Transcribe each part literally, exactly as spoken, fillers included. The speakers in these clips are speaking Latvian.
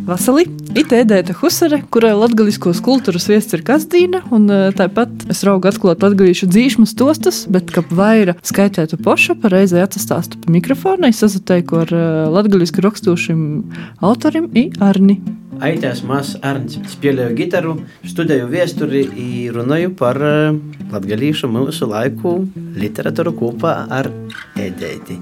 Vasarī ir Edēta Husare, kurai latgaliskos kultūras viests ir Kazdīna, un tāpat es raugu atklāt latgalīšu dzīšmu stostas, bet, kap vaira skaitētu poša, pareizai atsastāstu pa mikrofonu, es sazateiku ar latgalisku rakstūšim autorim i Arni. Aitēs mās Arns. Spēlēju gitaru, studēju viesturi i runāju par latgalīšu mūsu laiku literatūru kopā ar Edēti.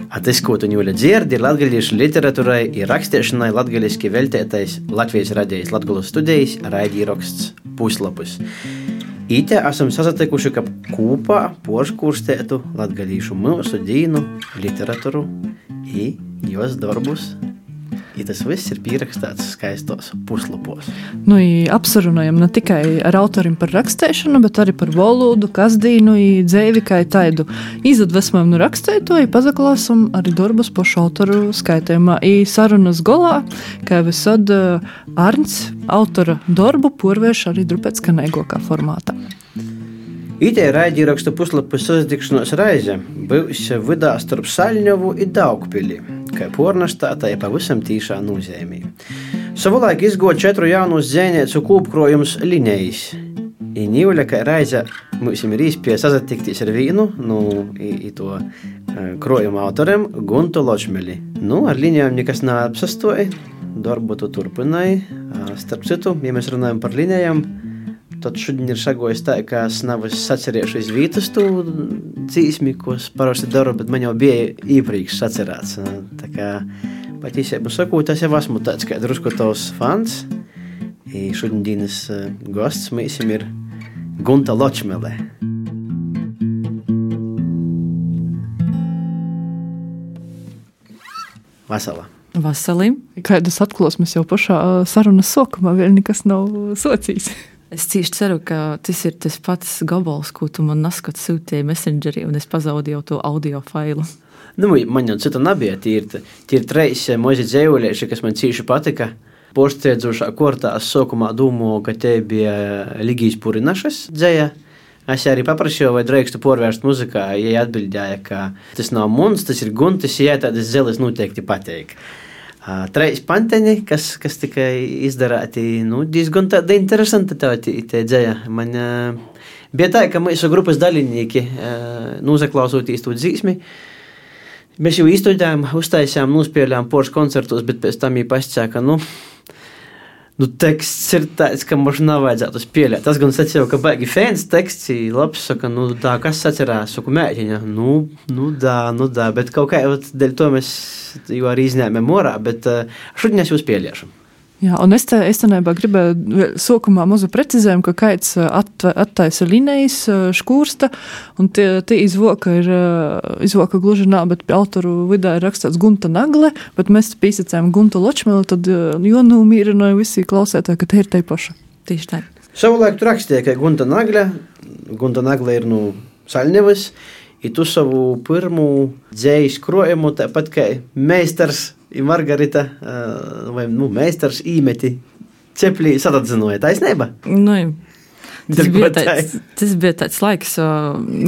Tas, ko tu ņūļa dzirdi, ir latgalīšu literatūrai ir rakstiešanai latgaliski veltētais Latvijas radijas Latgulas studijas raidīraksts Puslapus. Ite esam sasatikuši, ka kopā porškūrstētu latgalīšu mūsu dīnu literatūru i jos darbus. I tas viss ir pierakstāts skaistos puslapos. Nu, apsarunājam ne tikai ar autorim par rakstēšanu, bet arī par valodu, Kazdīnu, dzēvi kā taidu. Izadvesmojam no rakstētoju, pazaklāsam arī darbus pošu autoru skaitējumā. I sarunas golā, kā visad Arns autora darbu porvērš arī drupēc kanēgokā formātā. Itē raidīrakstu puslapu sasdikšanos reize būs vidā starp Saļņovu i Daugpili, kā pornastātā ir pavisam tīšā nozīmī. Savulaik izgoja četru jaunus dzēniecu kūpkrojums Linejis. I nīvuļa, kā reize mums ir īspēja sasatikties ar vīnu, nu, i, i to krojumu autorem Guntu Ločmeli. Nu, ar Linejām nekas neapsastoja, darbu tu turpināja. Starp citu, ja mēs runājam par Linejām, tad šodien ir šagojis tā, ka es nav sacerēšu iz vītas tu dzīsmi, ko es parasti daru, bet man jau bija īpriekš sacerēts. Tā kā patīsību sakot, es jau esmu tāds kā drusku tavs fans. I šodien dienas gosts mēsim ir Gunta Ločmele. Vasala. Vasali. Kādas atklosmes jau pašā sarunas sokumā vēl nekas nav socījis. Es cīši ceru, ka tas ir tas pats gabals, ko tu man naskat sūtīji Messengerī, un es pazaudīju to audio failu. Nu, man jau cita nebija. Tie ir, tie ir treis mozi dzējuļieši, kas man cīši patika. Porsteidzošā kortā es sokumā dūmu, ka te bija Ligijas Purinašas dzēja. Es arī paprašīju, vai drēkstu porvērst muzikā, ja atbildēja, ka tas nav muns, tas ir Guntis, ja tādas zeles noteikti pateik. Treis panteņi, kas, kas tikai izdarāti, nu, diezgan tāda interesanta tā dzēja. Man uh, bija tā, ka mūsu grupas dalībnieki, uh, nozaklausūtīs to dzīsmi, mēs jau izstudējām, uztaisījām, nospēlējām porš koncertos, bet pēc tam viņi pasacīja, ka, nu, nu, teksts ir tāds, ka mums nav vajadzētu spēlēt. Tas gan sacīja, ka baigi fēns teksts, labs, saka, nu, tā, kas sacerās, saku, mēģiņa, nu, nu, dā, nu, dā, bet kaut kā, dēļ to mēs jau arī izņēmēm orā, bet uh, šodien es jau spēlēšu. Jā, un es te, es tenībā gribēju sokumā mazu precizējumu, ka kaits at, attaisa Linejis škūrsta, un tie, tie izvoka ir, izvoka gluži nā, bet pie autoru vidā ir rakstāts Gunta Nagle, bet mēs pīsacējām Guntu Ločmeli, tad jo nu mīrinoja visi klausētāji, ka te ir tai paša. Tieši tā. Savulaik tu rakstīja, ka Gunta Nagle, Gunta Nagle ir nu Saļņevas, i tu savu pirmu dzējis krojumu, tāpat kā meistars i Margarita, vai, nu, meistars īmeti ceplī satadzinoja. Taisnība? Nu, tas bija, tāds, tas bija tāds laiks,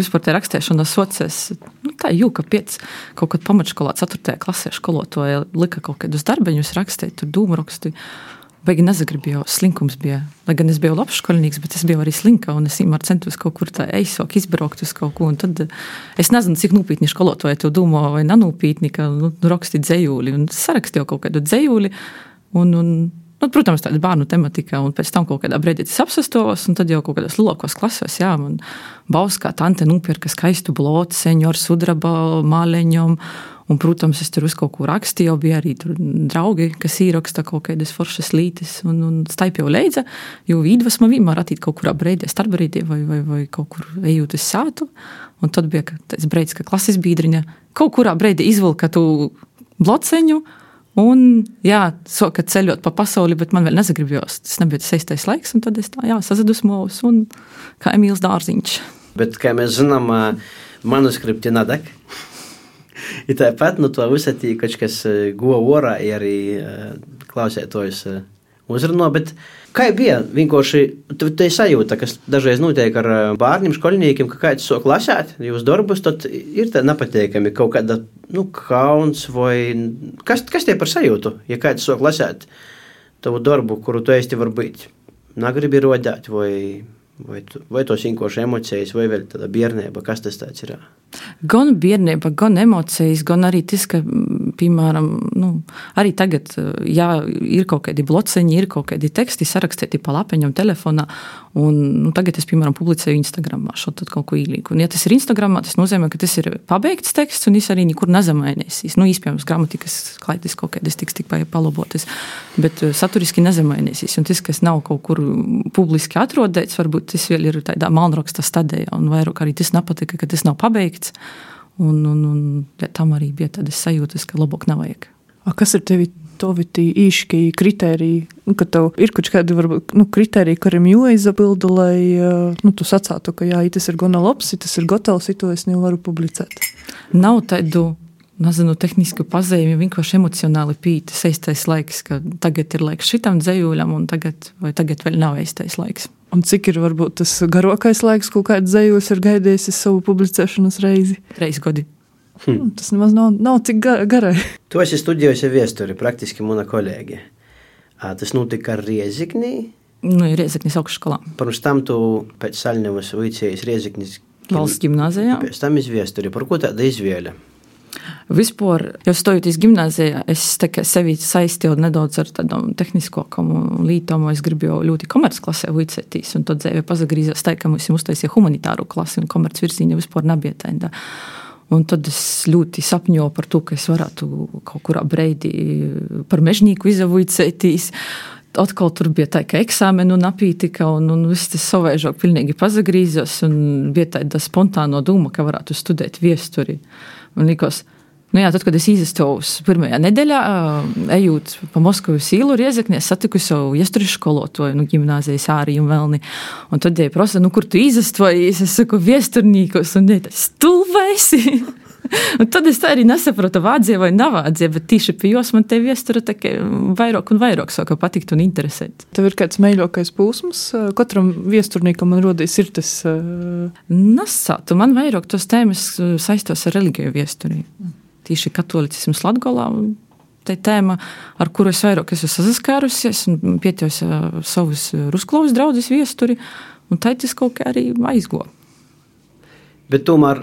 vispār te rakstēšana socies, nu, tā jūka piec, kaut kad pamatškolā ceturtajā klasē školotoja lika kaut kādus darbeņus rakstēt, tur dūmu rakstu. Baigi nezagribēju, slinkums bija. Lai gan es biju labs školnīgs, bet es biju arī slinka, un es īmār centos kaut kur tā eisok izbraukt uz kaut ko, un tad es nezinu, cik nūpītni školotoja to dūmo, vai nanūpītni, ka nu, rakstīt dzējūli, un sarakstīju kaut kādu dzējūli, un, un nu, protams, tāda bērnu tematika, un pēc tam kaut kādā brīdī tas apsastovos, un tad jau kaut kādās lūkos klasos, jā, man Bauskā tante nūpirka skaistu blotu, seņoru sudraba māleņom, un, protams, es tur uz kaut ko rakstu, jau bija arī tur draugi, kas īraksta kaut kādas foršas lītis, un, un staip jau leidza, jo īdvesma vienmēr atīt kaut kurā breidē, starpbrīdē vai, vai, vai kaut kur ejūt uz sātu, un tad bija tāds breids, ka klases biedriņa kaut kurā breidē izvilka tu blotseņu, un, jā, soka ceļot pa pasauli, bet man vēl nezagribējos, tas nebija tas seistais laiks, un tad es tā, jā, sazadusmos, un kā Emīls Dārziņš. Bet, kā mēs zinām, manuskripti nadek. I tāpat, nu, to visatī, kaut kas go orā, i arī klausētojus uzrunā, bet kā bija vienkārši tā sajūta, kas dažreiz notiek ar bērniem, skolniekiem, ka kāds sok lasēt jūs darbus, tad ir tā nepateikami kaut kāda, nu, kauns vai kas, kas tie par sajūtu, ja kāds sok lasēt tavu darbu, kuru tu esti varbūt negribi rodēt vai, vai, vai tos vienkārši emocijas vai vēl tāda biernība, kas tas tāds ir? Gan biernība, gan emocijas, gan arī tas, ka, piemēram, nu, arī tagad, jā, ir kaut kādi bloceņi, ir kaut kādi teksti sarakstīti pa lapeņam telefonā, un nu, tagad es, piemēram, publicēju Instagramā šo tad kaut ko īlīgu. Un ja tas ir Instagramā, tas nozīmē, ka tas ir pabeigts teksts, un es arī nekur nezamainīsīs. Nu, īspējams, gramatikas klaides kaut kādas tiks tik palabotas, bet saturiski nezamainīsīs. Un tas, kas nav kaut kur publiski atrodēts, varbūt tas vēl ir tādā malnraksta stadijā, un vairāk arī tas nepatika, ka tas nav pabeigts. Un, un, un ja, tam arī bija tādas sajūtas, ka labāk nevajag. A, kas ir tevi tovi tī īški kritēriji? Nu, ka tev ir kaut kādi, varbūt, nu, kritēriji, kuriem jāizabilda, lai, nu, tu sacātu, ka jā, tas ir gana labs, tas ir gatavs, to es nevaru publicēt. Nav tādu, nezinu, tehnisku pazīmi, vienkārši emocionāli pīti seistais laiks, ka tagad ir laiks šitam dzejūļam, un tagad, vai tagad vēl nav eistais laiks. Un cik ir varbūt tas garākais laiks, ko kāds dzejūļs ir gaidījis savu publicēšanas reizi? Reiz godi. Hmm. Tas nemaz nav, nav cik garai. Tu esi studijojusi viesturi, praktiski mana kolēģe. Tas notika Rieziknī? Nu, Rieziknis augšskolā. Pirms tam tu pēc Saļņevas vicējies Rieziknis valsts gimnāzijā. Pēc tam iz viesturi. Par ko tāda izvēle? Vispār, jau stojoties gimnāzijā, es sevi saistīju nedaudz ar tādām tehniskākām lītām, es gribu jau ļoti komercklasē vicētīs, un tad dzīve pazagrīzās tā, ka mums uztaisīja humanitāru klasi, un komerc virzīņa vispār nebija tā. Un tad es ļoti sapņoju par to, ka es varētu kaut kurā breidī par mežnīku izavicētīs. Atkal tur bija tā, ka eksāmenu napītika, un, un viss tas savēžāk pilnīgi pazagrīzās, un bija tāda spontāno doma, ka varētu studēt viesturi. Un likos, nu jā, tad, kad es izastos pirmajā nedēļā, ejot pa Moskavas īlu Riezeknē, es satiku savu iesturis skolotoju, nu, gimnāzijas Āriju Melni. Un tad jai prasa, nu, kur tu izastojies? Es saku, viesturnīkos, un jai tā, stulvēsi! Un tad es tā arī nesaprotu, vādzie vai navādzie, bet tīši pie jos man te viestura tā kā vairāk un vairāk sāka patikt un interesēt. Tev ir kāds meiļākais pūsmas? Katram viesturnīkam man rodīs ir tas... Nasātu, man vairāk tos tēmas saistos ar religiju viesturī. Tīši katolicisms Latgolā, tā tēma, ar kuru es vairāk esmu sasaskārusies un pietījos savus Rusklovas draudzes viesturi, un tā tas kaut kā arī aizgo. Bet tomēr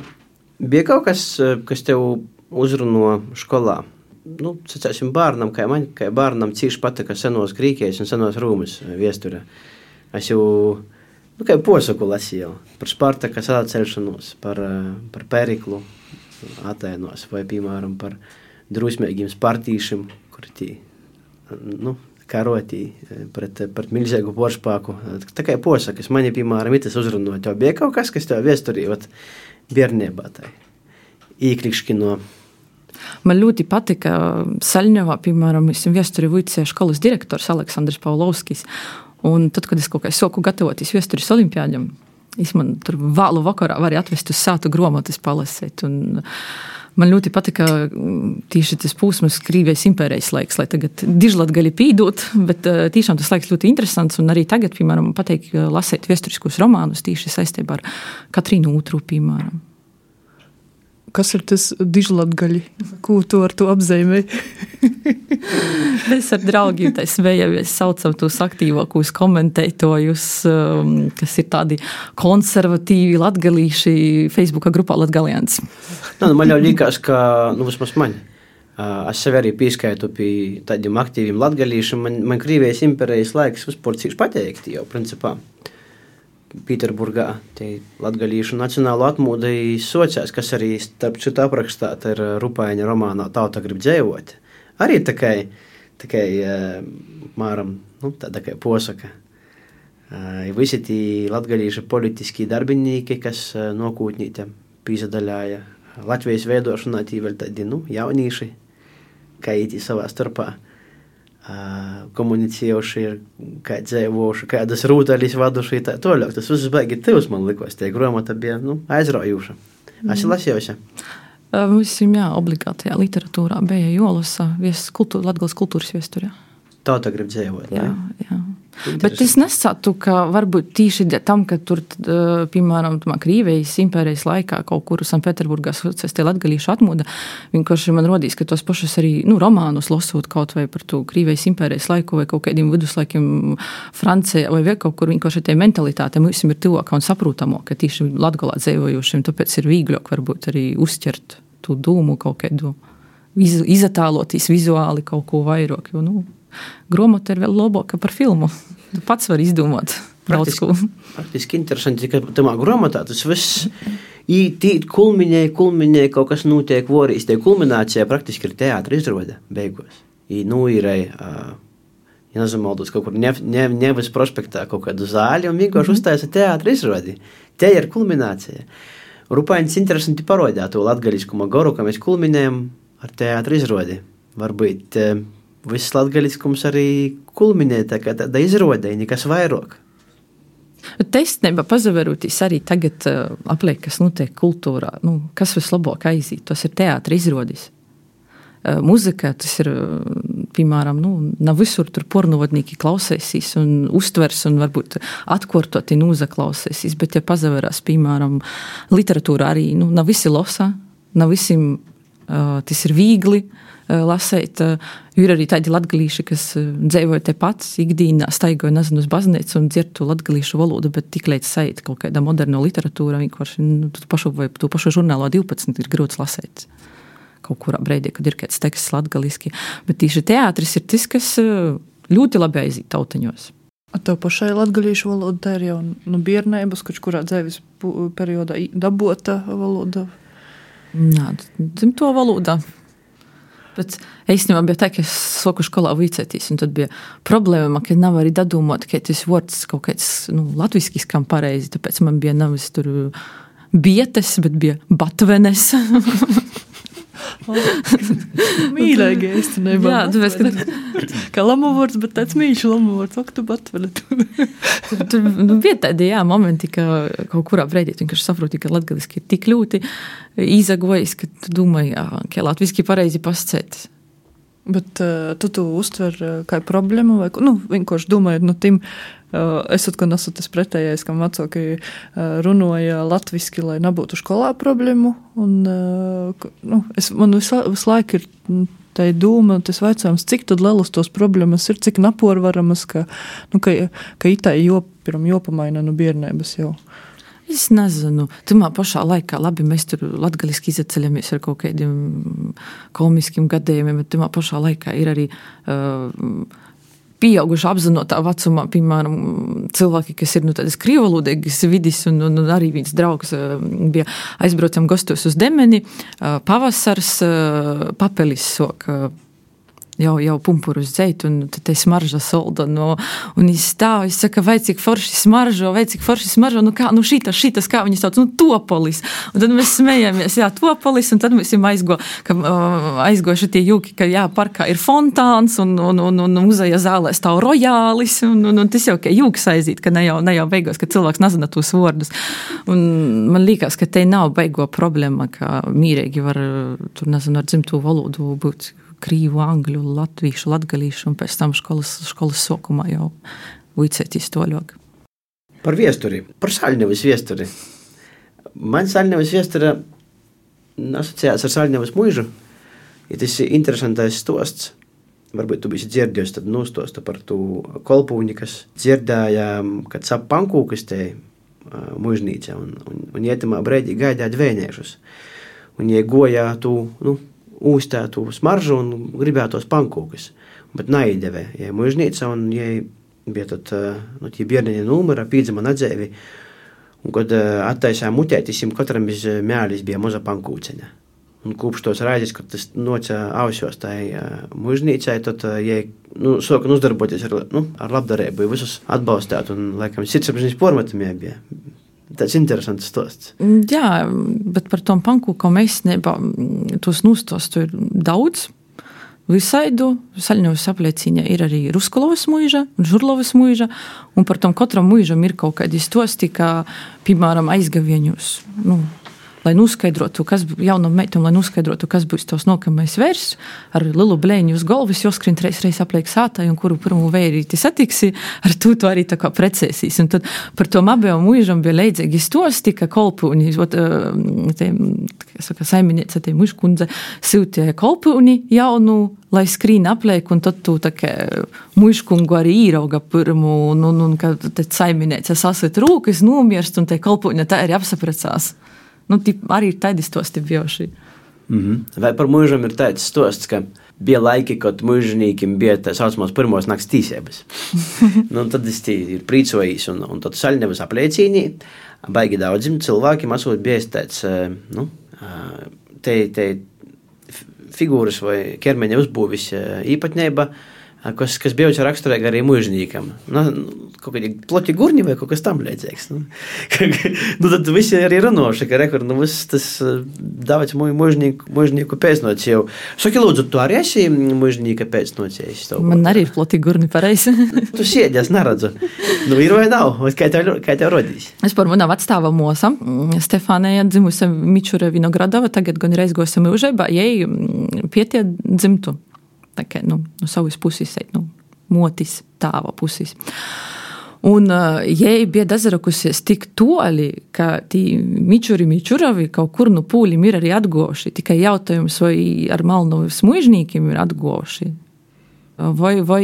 bija kaut kas, kas tev uzruno skolā? Nu, sacāsim, bārnam, kā man, kā bārnam cīši patika senos Grīkijas un senos Rūmas viestura. Es jau, nu, kā posaku lasīju par Spartaka sacelšanos, par, par Periklu Atēnos vai, piemēram, par drusmīgiem spartīšiem, kuri tī, nu, karotī pret, pret milzīgu poršpāku. Tā kā posakas, mani, piemēram, itas uzruno. Tev bija kaut kas, kas tev viesturī, ot, biernībā tai īkrikškino. Man ļoti patika Saļņevā, piemēram, es viesturi vicēju školas direktors Aleksandrs Pavlovskis. Un tad, kad es kaut kā soku gatavoties viesturis olimpiādam, es man tur vēlu vakarā varēju atvest uz sātu gromotas palasēt. Un man ļoti patika tīši tas pūsmas Krīvijas impērijas laiks, lai tagad dižlatgaļi pīdot, bet tīšām tas laiks ļoti interesants. Un arī tagad, piemēram, pateik lasēt viesturiskos romānus tīši saistībā ar Katrīnu Otru, piemēram. Kas ir tas dižlatgaļi? Ko tu ar to apzīmē? Mēs ar draugiem tā svējamies, saucam tos aktīvākos komentētojus, kas ir tādi konservatīvi latgalīši Facebooka grupā Latgalians. Nu, man jau likās, ka, nu, vismaz man, es sevi arī pieskaitu pie tādiem aktīviem latgalīšiem. Man, man Krīvijas impērijas laiks vispār cīši pateikti jau, principā. Pīterburgā tie latgalīšu nacionālo atmūdi sociās, kas arī starp citu aprakstāt ar Rupaiņa romānā Tauta grib dzējot. Arī takai, takai māram, nu, tā takai posaka. Visi tī latgalīšu politiskie darbinīki, kas nokūtnīte pīzadaļāja Latvijas veidošanā, tī vēl tādi, nu, jaunīši, kā ītī savā starpā. Komunicējuši, kā dzēvoši, kādas rūtaļas vaduši, tā toļāk. Tas viss baigi tivs, man likos, tie gromata bija, nu, aizraujuša. Esi lasījusi? Visam, jā, obligātajā literatūrā bija jālasa kultūra, Latgales kultūras viesturē. tauta grib dzīvot. Jā, jā. Bet es nesatu, ka varbūt tīši tam, ka tur, piemēram, Krīvijas impērijas laikā kaut kur Sanktpēterburgā socies tie latgalīšu atmoda, vienkārši man rodīs, ka tos pašus arī, nu, romānus lasot kaut vai par to Krīvijas impērijas laiku vai kaut kādiem viduslaikiem Francijā vai vēl kaut kur, vienkārši tie mentalitāte mums ir tuvākā un saprotamo, ka tīši Latgalā dzīvojošiem, tāpēc ir vīgļāk varbūt arī uzķert to dūmu kaut kādu, izatālotīs vizuāli kaut ko vairāk, jo, nu, gromota ir vēl labāka par filmu. Tu pats var izdomāt daudz ko. Praktiski interesanti, ka tamā gromotā tas viss tīt kulminēja, kulminēja, kaut kas notiek vorīs. Tie kulminācijā praktiski ir teātra izrode beigos. I, nu, ir, uh, ja nezamaldos, kaut kur Nev, Nev, Nevas prospektā kaut kādu zāļu un vienkārši mm-hmm. uztaisa teātra izrodi. Te ir kulminācija. Rupainis interesanti parodjā to latgaliskuma goru, ka mēs kulminējam ar teātra izrodi. Varbūt uh, viss latgaliskums arī kulminē tā kā tāda izrodē, nekas vairāk. Bet īstenībā pazaverotīs arī tagad uh, apliek, kas notiek kultūrā. Nu, kas vislabāk aiziet? Tas ir teātra izrodis. Uh, muzika, tas ir, piemēram, nu, nav visur tur pornovodnīki klausēsīs un uztvers un varbūt atkortoti nūzaklausēsīs, bet ja pazaverās, piemēram, literatūra arī, nu, nav visi losa, nav visiem uh, tas ir vīgli, lasēt, ir arī tādi latgalīši, kas dzīvoja te pats, ikdīnā staigoja, nezinu, uz baznīcu un dzird to latgalīšu valodu, bet tik līdz sajūt kaut kāda moderno literatūra, vienkārši, nu, tu pašu, vai tu pašu žurnālo divpadsmit ir grūts lasēt kaut kurā breidī, kad ir kāds teksts latgaliski. Bet tīši teātris ir tas, kas ļoti labi aiziet tautaņos. A tev pašai latgalīšu valoda, tā ir jau no bērnības, kurā dzīves periodā dabota valoda? Nā, dzimto valoda. Bet īstenībā bija tā, ka es soku skolā vicētīs, un tad bija problēma, ka nav arī dadūmot, ka tas vārds kaut kāds, nu, latviski skam pareizi, tāpēc man bija nav tur bietes, bet bija batvenes. Mīlēgi īstenībā. Jā, tāpēc, ka... Kā lamovārds, bet tāds mīļš lamovārds, ak, tu batvene. Tur nu, bija tādi, jā, momenti, ka kaut kurā breidī tu vienkārši saproti, ka latgaliski ir tik ļoti izagojis, ka tu domāji, jā, ka latviski pareizi pascēt. Bet uh, tu tu uztver uh, kā problēmu vai, nu, vienkārši domājot, nu, tim, uh, esat, ka nesat tas pretējais, kam vecāki uh, runoja latviski, lai nebūtu skolā problēmu, un, uh, nu, es, man visu, visu laiku ir tā doma, tas vaicājums, cik tad lielas tos problēmas ir, cik naporvaramas, ka, nu, ka, ka itai jopiram jopamaina no bērnības jau. Es nezinu. Tamā pašā laikā, labi, mēs tur latgaliski izaceļamies ar kaut kādiem komiskiem gadījumiem, bet tamā pašā laikā ir arī uh, pieauguši apzinotā vecumā, piemēram, cilvēki, kas ir, nu, tādas krievalodīgas vidis, un, un, un arī viens draugs uh, bija aizbraucam gastos uz Demeni, uh, pavasars, uh, papelis sok, uh, jau, jau pumpuru uz dzeitu, un tad te smarža solda, no, un es stāv, es saka, vai cik forši smaržo, vai cik forši smaržo, nu kā, nu šitas, šitas, kā viņi sauc, nu topolis, un tad mēs smējamies, jā, topolis, un tad mēs jums aizgo, ka uh, aizgo šitie jūki, ka jā, parkā ir fontāns, un, un, un, un muzeja zālē stāv rojālis, un, un, un tas jau, ka jūks aizīt, ka ne jau, ne jau beigos, ka cilvēks nezina tos vārdus, un man liekas, ka te nav beigo problēma, ka mīrīgi var, tur nezinu, ar dzimto valodu būt krīvu, angļu, latvīšu, latgalīšu, un pēc tam školas, školas sokumā jau vicētīs toļok. Par viesturi, par Saļņevas viesturi. Man Saļņevas viestura asociējās ar Saļņevas muižu, ja tas ir interesantais stosts. Varbūt tu bisi dzirdējis, tad nostosta par tu kolpūņi, kas dzirdēja, kad sap pankūkas te muižnīca, un, un, un ietamā breidī gaidāja dvēniešus. Un jie gojā tu, nu, ūstētu smaržu un gribētos pankūkas. Bet naizdevē, ja muižnīca, un ja bija tad, nu, tie bierneņa numera, pīdzama nadzēvi, un kad attaisā mutētis, jim katram iz mēlis bija moza pankūceņa. Un kūpš tos raizes, kad tas noca ausjos tai muižnīcai, tad, ja, nu, soka uzdarboties ar, nu, ar labdarību, visus atbalstāt, un, laikam, sirdsapziņas pormatamie bija. Tas interesants stosts. Jā, bet par tom pankūkom īstenībā tos nostostu ir daudz. Visaidu Saļņevas apliecīņā ir arī Ruskulovas muiža un Žurlovas muiža, un par tom katram muižam ir kaut kādi stosti, kā, piemēram, aizgavieņus, nu, lai noskaidrotu, kas jaunam meitam, lai noskaidrotu, kas būs tos nākamais vērs, ar lielu blēņu uz galvas, joskrien reiz reiz apliek sātai, un kuru pirmo vērīti satiksi, ar to to arī tā kā precēsīs. Un tad par to abiem mūžam bija leidzīgi stosti, ka kolpūni, te, saka, saimniece, te mužkundze, siltie kolpūni jaunu, lai skrīn apliek, un tad tu tā kā mužkungu arī īrauga pirmu, un, un, un kad te saimniece sasit rūkas, nomirst, un te kolpūni tā arī apsapracās. Nu, tip, arī ir tādi stosti bijuši. Mm-hmm. Vai par mūžam ir tāds stosts, ka bija laiki, kad mūžinīkim bija tā saucamās pirmos nakts tīsības. Nu, tad es tī ir prīcojīs, un, un tad Saļņevas apliecīnī baigi daudzim cilvēkiem esot bijis tāds, nu, te, te figūras vai ķermeņa uzbūvis īpatnība, kas, kas bieži raksturēja arī mūžinīkam. Nu, kaut kādi ploti gurņi vai kaut kas tam līdzīgs. Nu, nu, tad visi arī runoši, ka rekur, nu, viss tas daudz mūžinīku, mūžinīku pēcnoci jau. Saki, lūdzu, tu arī esi mūžinīka pēcnocējis? Man arī ir ploti gurņi pareizi. Tu siedi, es neredzu. Nu, ir vai nav? Kā tev, kā tev rodīs? Es par manā vecstāva mosa, Stefānija dzimusi Mičura Vinogradova, tagad gan reiz gosam mūžībā, jai pietie dzimtu. Tā kā, nu, no savas puses, nu, motis tāva puses. Un uh, jai bija dazarakusies tik toli, ka tī mičuri mičuravi kaut kur no pūlim ir arī atgoši. Tikai jautājums, vai ar Malnovas muižnīkiem ir atgoši. Vai, vai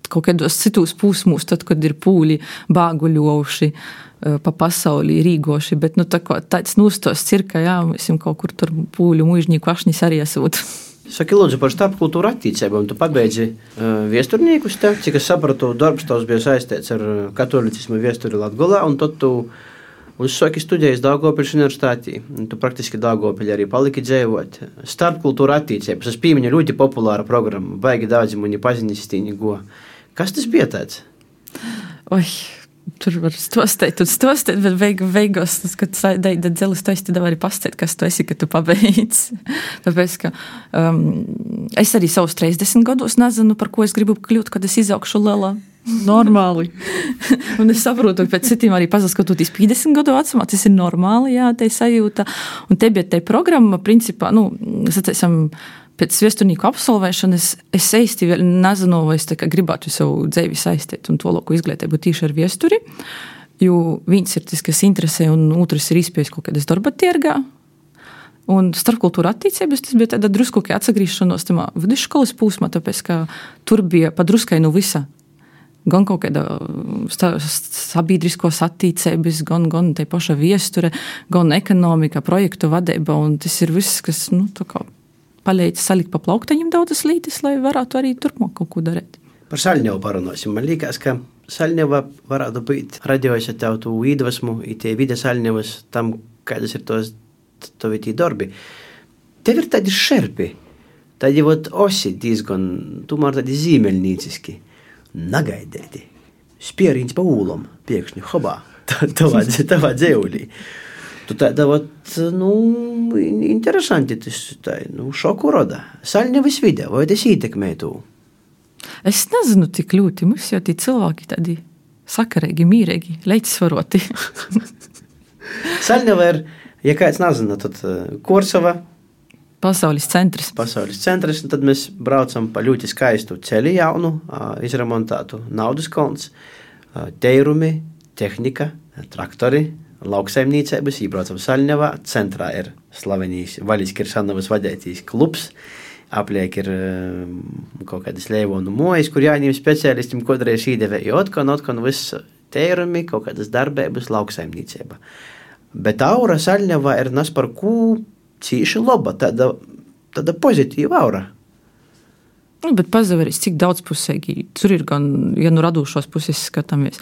kaut kādos citos pusmūs, tad, kad ir pūli bāguļojuši uh, pa pasaulī rīgoši. Bet, nu, tā kā tāds nūstos cirka, jā, mēs jau kaut kur tur pūļu muižnīku ašnis arī esot. Saki, lūdzu, par starpkultūru attīcībām. Tu pabeidzi uh, viesturniekus te, cik es sapratu, darbs tavs bija saistīts ar katolicismu viesturi Latgolā, un tad tu uzsāki studējas Daugavpils universitātī. Tu praktiski Daugavpilī arī paliki dzēvot. Starpkultūru attīcības. Es pīmiņu ļoti populāra programma. Baigi daudzi mani paziņastīni go. Kas tas bija tāds? Oi... Tur var stostēt un stostēt, bet veig, veigos, kad daida dzelis, tu esi tad arī pastēt, kas tu esi, ka tu pabeidz. Tāpēc, ka um, es arī savus trīsdesmit gados nezinu, par ko es gribu kļūt, kad es izaugšu lielā. Normāli. Un es saprotu, ka pēc citiem arī pazaskatoties piecdesmit gadu vecumā, tas ir normāli, jā, te sajūta. Un te bija te programma, principā, nu, sacēsim, pēc viesturnīku absolvēšanas es eisti vēl nezinu, vai es tā kā gribētu savu dzēvi saistīt un to loku izglītību tīši ar viesturi, jo viens ir tas, kas interesē, un otrs ir izpējas kaut kādas darba tirgā. Un starpkultūra attīcības tas bija tāda drusku kā atsagrīšanos tamā vidusskolas pūsmā, tāpēc, ka tur bija padruskai no visa. Gan kaut kāda sabiedriskos attīcības, gan, gan te paša viesture, gan ekonomika, projektu vadība, un tas ir viss, kas, nu, tā kā palīdz salikt pa plauktaņiem daudzas lītis, lai varētu arī turpmāk kaut ko darīt. Par Saļņevu parunāsim. Man liekas, ka Saļņeva varētu būt radījusi tev tu iedvesmu, i tie vide Saļņevas tam, kādas ir tos tovi tī darbi. Tev ir tādi šerpi, tādi vot osi diezgan, tomēr tādi zīmeļnīciski, nagaidēti, spieriņš pa ūlam, piekšņi, hobā, tavā, tavā dzēulī. Tu tāda, vat, nu, interesanti, tas tā, nu, šoku roda. Saļņevas vide, vai tas ietekmē tu? Es nezinu tik ļoti, mums jau tie cilvēki tādi sakarīgi, mīrīgi, leicasvaroti. Saļņeva ir, ja kāds nezina, tad Korsava. Pasaules centrs. Pasaules centrs, un tad mēs braucam pa ļoti skaistu ceļu jaunu, izremontētu naudas konts, teirumi, tehnika, traktori, lauksaimniecības, ībraucam Saļņevā, centrā ir slavenīs Vaļis Kiršanovas vadētīs klubs, apliek ir kaut kādas leivonu mojas, kur jāņem speciālistim, kodreiz īdevē, jo otkon, otkon viss teirumi, kaut kādas darbības, lauksaimniecība. Bet aura Saļņevā ir nas par kū cīši loba, tāda, tāda pozitīva aura. Nu, bet pazaveris, cik daudzpusēgi, tur ir gan, ja nu radūšos puses skatāmies,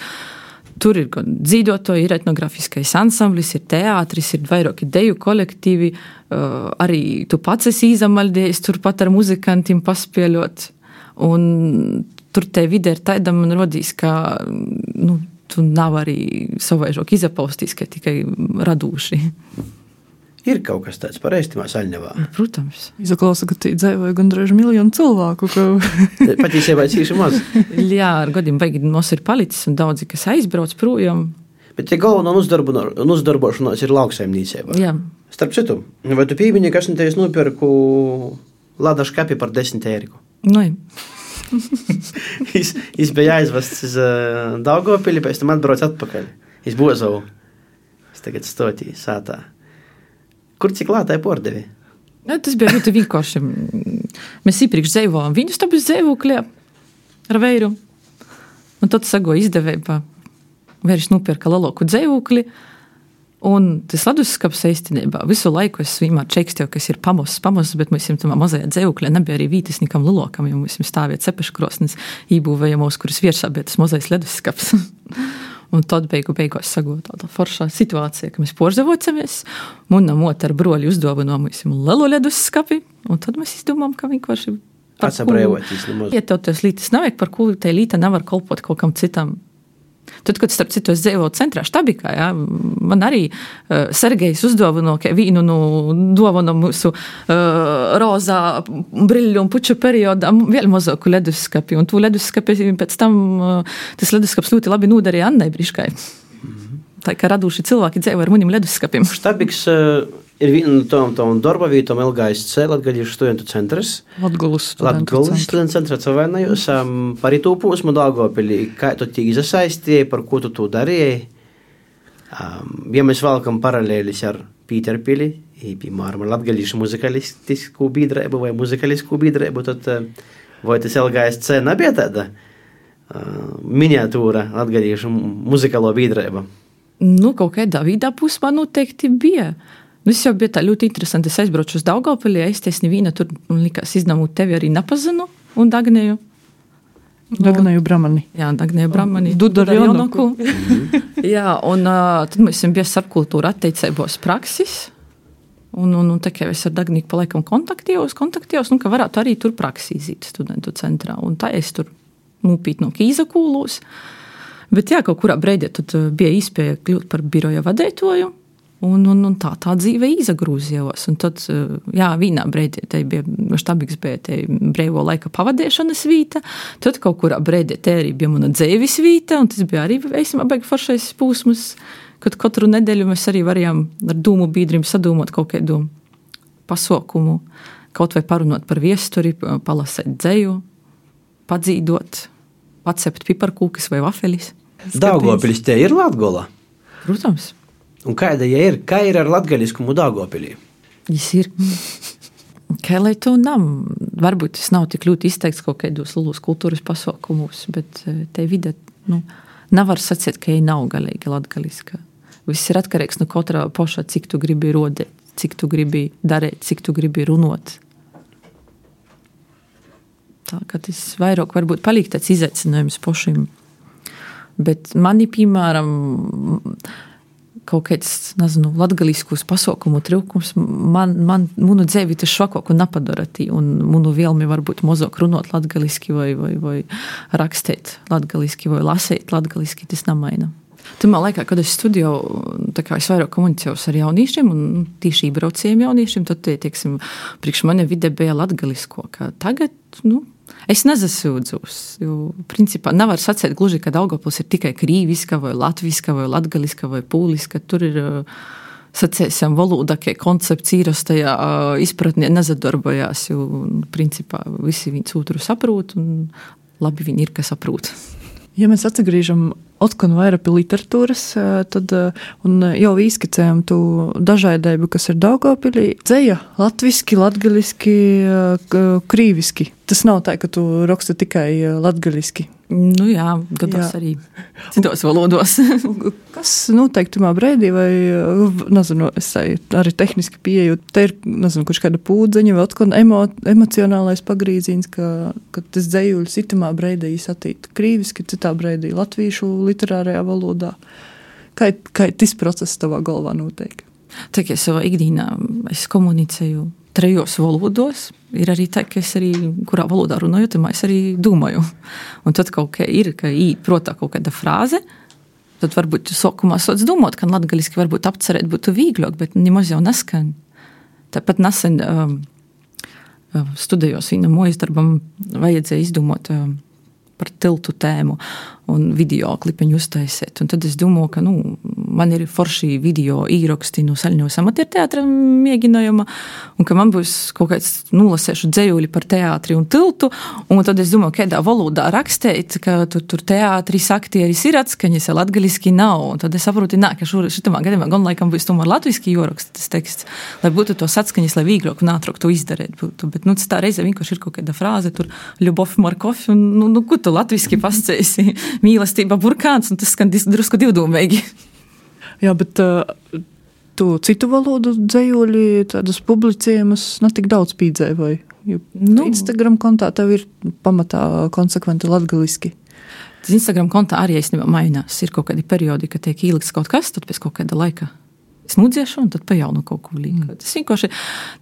tur ir gan dzīdotoji, ir etnografiskais ansamblis, ir teātris, ir vairāki deju kolektīvi, uh, arī tu pats esi izamaldējis, tur pat ar muzikantiem paspēļot. Un tur te vide ir taida, man rodīs, ka nu, tu nav arī savaižok izapaustīs, ka tikai radūši. Ir kaut kas tāds par ēstimā Saļņevā? Protams. Izaklausa, ka tī dzēvoja gandrīz miljonu cilvēku. Ka... Patīsībā cīši maz. Jā, ar gadiem baigi mums ir palicis un daudzi, kas aizbrauc projām. Bet te galvenā uzdarbošanās ir lauksaimniecība. Jā. Starp citu, vai tu pīmiņi, ka es neteiz nopirku lada škapi par desmit eiriku? Nu, es, es bija aizvests uz uh, Daugavpili, pēc tam atbrauc atpakaļ. Es Bozovu. Es tagad stotī sātā. Kur cik lātai pordevi? Ja, tas bija ļoti vienkārši. Mēs iepriekš dzīvojām viņu stabas dzīvoklī ar veiru. Un tad sago izdevībā. Vairs nopirka lielāku dzīvokli. Un tas leduskapis īstenībā visu laiku es vienmēr čekstēju, kas ir pamosas, pamosas, bet mēs tam mazajā dzīvoklī nebija arī vītis nikam lielākam, jo mēs stāvēt cepeškrosnes ībūvējamos, kuras virsā bija tas mazais leduskapis. Un tad beigu beigās sagūta tāda foršā situācija, ka mēs porzavocamies, munam otra ar broļi uzdāvinām lielu leduskapi, un tad mēs izdomām, ka vienkārši atsabrēvoties nemaz. Ja tev tas lītas nevajag, par ko te līta nevar kolpot kaut kam citam. Tad, kad starp citu es dzīvoju centrā Štabikā, ja, man arī uh, Sergejs uzdāvino vīnu no dāvana mūsu uh, rozā briļu un puču periodā vēl mazāku leduskapi, un tu leduskapi pēc tam uh, tas leduskaps ļoti labi nodarīja Annai Briškai. Mm-hmm. Tā kā raduši cilvēki dzīvo ar munim leduskapim. Štabiks uh, ir viena no tom, tom darba vītom L G S C, Latgaļiešu studentu centrs. Latgulas studentu Latgulas studentu centrs atsavainojos. Um, par itū pūsmu Daugavpilī, kā tu tī izasaistīji, par ko tu tu darīji. Um, ja mēs valkam paralēlis ar Pīterpili, piemēram, ar Latgaļiešu muzikalistisku biedrību vai muzikalistisku biedrību, tad uh, vai tas L G S C nebija tāda uh, miniatūra Latgaļiešu muzikalo biedrība? Nu, kaut kādā vidā pusmā noteikti bija. Nu, es jau bija tā ļoti interesanti. Es aizbraucu uz Daugavpili, es tiesni vīna tur, un likās iznamūt tevi arī nepazinu, un Dagnēju. Dagnēju Bramani. Jā, Dagnēju Bramani. Dudar Jonoku. Jā, un uh, tad mēs esam bija starpkultūra atteicībos praksis, un, un, un tā kā es ar Dagnīku palaikam kontaktījos, kontaktījos, nu, ka varētu arī tur praksi izīt studentu centrā, un tā es tur nūpīt no Kīzakūlūs. Bet jā, kaut kurā breidē tad bija īspēja kļūt par biroja vadētoju, Un, un, un tā, tā dzīve izagrūzījos. Un tad, jā, vienā breidē, te bija Štabiks, bija te breivo laika pavadēšanas vīta, tad kaut kurā breidē te arī bija mana dzēvis vīta, un tas bija arī, eisimā, baigi foršais pūsmas, kad katru nedēļu mēs arī varējām ar dūmu biedrim sadūmot kaut kādu pasaukumu, kaut vai parunot par viesturi, palasēt dzēju, padzīdot, pacept piparkūkas vai vafelis. Daugavpilis te ir Latgola? Protams. Un kāda ja ir? Kā ir ar latgaļiskumu Daugavpilī? Jis ir. Kā lai to nam? Varbūt tas nav tik ļoti izteikts kaut kādos lielos kultūras pasaukumus, bet te vide, nu, nevar sacīt, ka viņa nav galīgi latgaļiska. Viss ir atkarīgs no katrā poša, cik tu gribi rodēt, cik tu gribi darīt, cik tu gribi runot. Tā, ka tas vairāk varbūt paliek tāds izaicinājums pošim. Bet mani, piemēram, kaut kāds, nezinu, latgaliskus pasaukumu trūkums, man, man, munu dzēvi tas švakoku napadarati, un munu vielmi varbūt mozok runot latgaliski vai, vai, vai rakstēt latgaliski vai lasēt latgaliski, tas namaina. Tamā laikā, kad es studēju, tā kā es vairāk komunicējos ar jauniešiem un tīši braucējiem jauniešiem, tad, teiksim, priekš mani vide bija latgalisko, ka tagad, nu, es nezasūdzos, jo, principā, nevar sacēt gluži, ka Daugavpils ir tikai krīviska vai latviska vai latgaliska vai pūliska. Tur ir, sacēsim, valoda, ka koncepts īrastajā izpratnē nezadarbojās, jo, principā, visi viņus otru saprūt un labi viņi ir, ka saprūt. Ja mēs atsagrīžam otkon vairāk pie literatūras, tad un jau izskicējam tu dažādību, kas ir Daugavpilī. Dzeja latviski, latgaliski, krīviski. Tas nav tā, ka tu raksti tikai latgaliski. Nu jā, gados jā. Arī citos valodos. Kas notiek tamā breidī vai, nezinu, es arī tehniski pieeju, te ir, nezinu, kurš kāda pūdzeņa vai otkon emo, emocionālais pagrīzīns, ka, ka tas dzējuļs itamā breidī atīt krīviski, citā breidī latvīšu literārajā valodā. Kā, kā tas process tavā galvā notiek? Tā kā savā ikdīnā es komunicēju trejos valodos, ir arī tā, ka es arī, kurā valodā runāju, tad es arī domāju. Un tad kaut kā ir, ka īt protā kaut kāda frāze, tad varbūt sokumā sots domāt, ka latgaliski varbūt apcerēt būtu vīgļāk, bet nemaz jau neskan. Tāpat nesen um, studējos vienam mojas darbam, vajadzēja izdomāt um, par tiltu tēmu un video klipiņu uztaisēt. Un tad es domāju, ka, nu, man ir forši video īraksti no Saļņos amatierteātra mēģinājuma, un ka man būs kaut kāds nolasēšu dzejūļi par teātri un tiltu, un tad es domāju, kādā valodā rakstēt, ka tur, tur teātris, aktieris ir atskaņas, ja latgaliski nav, un tad es saprotu, nā, ka šur, šitamā gadījumā gan laikam būs tomēr latviski joraksta tas teksts, lai būtu tos atskaņas, lai vīglāk un ātrāk to izdarēt būtu, bet, nu, tas tā reize vienkārši ir kaut kāda frāze, tur Ļubov Markov, un, nu, nu, ko tu latviski pasceisi, mīlestība burkāns, un tas skan drusku divdomīgi. Jā, bet uh, tu citu valodu dzejūļi, tādas publicējumus netik daudz pīdzēvoji, jo nu, Instagram kontā tev ir pamatā konsekventi latgaliski. Tas Instagram kontā arī īstenībā mainās, ir kaut kādi periodi, ka tiek ielikts kaut kas, tad pēc kaut kāda laika es nudziešu un tad pa jaunu kaut ko līk. Mm. Tas vienkārši,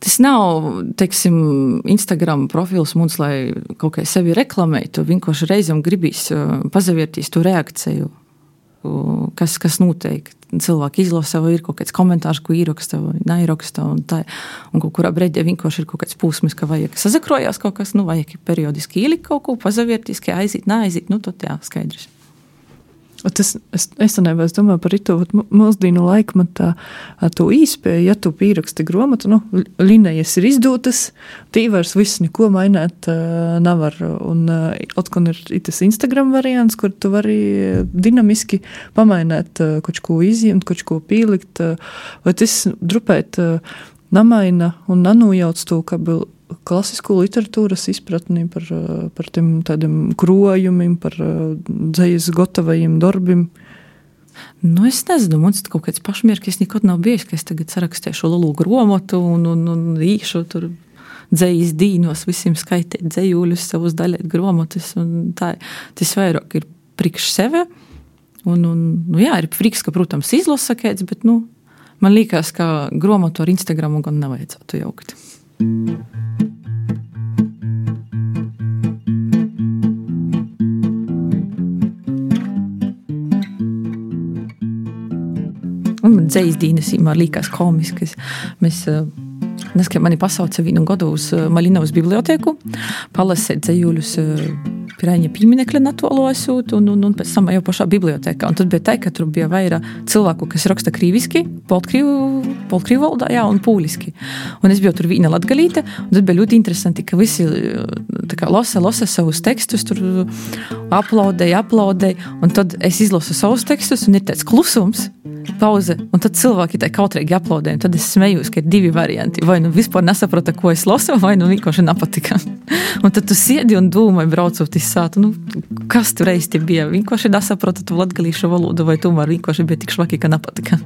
tas nav, teiksim, Instagram profils mums, lai kaut kā sevi reklamētu, vienkārši reizam gribīs pazaviertīs to reakciju, kas, kas notiek. Cilvēki izlasa, vai ir kaut kāds komentārs, ko ieraksta vai neieraksta, un tā, un kaut kurā breidē vienkārši ir kaut kāds pūsmis, ka vajag sazakrojās kaut kas, nu, vajag periodiski ielikt kaut ko, pazaviertīs, ka aiziet, neaiziet, nu, tad jā, skaidrs. Tas, es, es tanībā, es domāju par ito mūsdīnu laikmatā to īspēju, ja tu pīraksti gromatu, nu, linējas ir izdotas, tī vairs viss neko mainēt uh, nevar. Un uh, otkon ir itas Instagram variants, kur tu vari dinamiski pamainēt uh, kaut ko izjiemt, kaut ko pīlikt, uh, vai tas drupēt uh, namaina un nanujauc to, ka bija klasisko literatūras izpratni par, par tiem tādiem krojumiem, par dzejas gatavajiem darbiem. Nu, es nezinu, mums kaut kāds pašmierkis nekad nav bijis, ka es tagad sarakstēšu lielu gromotu un, un, un īšu tur dzejas dīnos, visiem skaitīt dzejūļus, savus daļēt gromotus, un tā, tas vairāk ir priekš sevi, un, un, nu jā, ir prieks, ka, protams, izlasa kāds, bet, nu, man liekas, ka gromotu ar Instagramu gan nevajadzētu jaukt. Un man dzejas dīnas īmā līkās komiskas. Mēs, neskatām, mani pasauca vienu godu uz Maļinovas bibliotēku, palasēt dzejūļus Piraiņa pīminekļa natolo esūt, un, un, un pēc tam jau pašā bibliotēkā. Un tad bija tā, ka tur bija vairāk cilvēku, kas raksta krīviski, poltkrīvu valodā, jā, un pūliski. Un es biju tur vīna latgalīte, un tad bija ļoti interesanti, ka visi tā kā losa, losa savus tekstus, tur aplaudēja, aplaudēja, un tad es izlasu savus tekstus, un ir tāds klusums, pauze, un tad cilvēki tā kautrīgi aplaudēja, un tad es smējos, ka ir divi varianti. Vai nu vispār nesaprata, ko es lasu, vai nu vienkārši nepatika. Un tad tu siedi un dūmai braucot iz sātu, nu, kas tu reiz te bija? Vienkārši nesaprata tu latgalīšu valodu, vai tomēr vienkārši bija tik švaki, ka nepatika.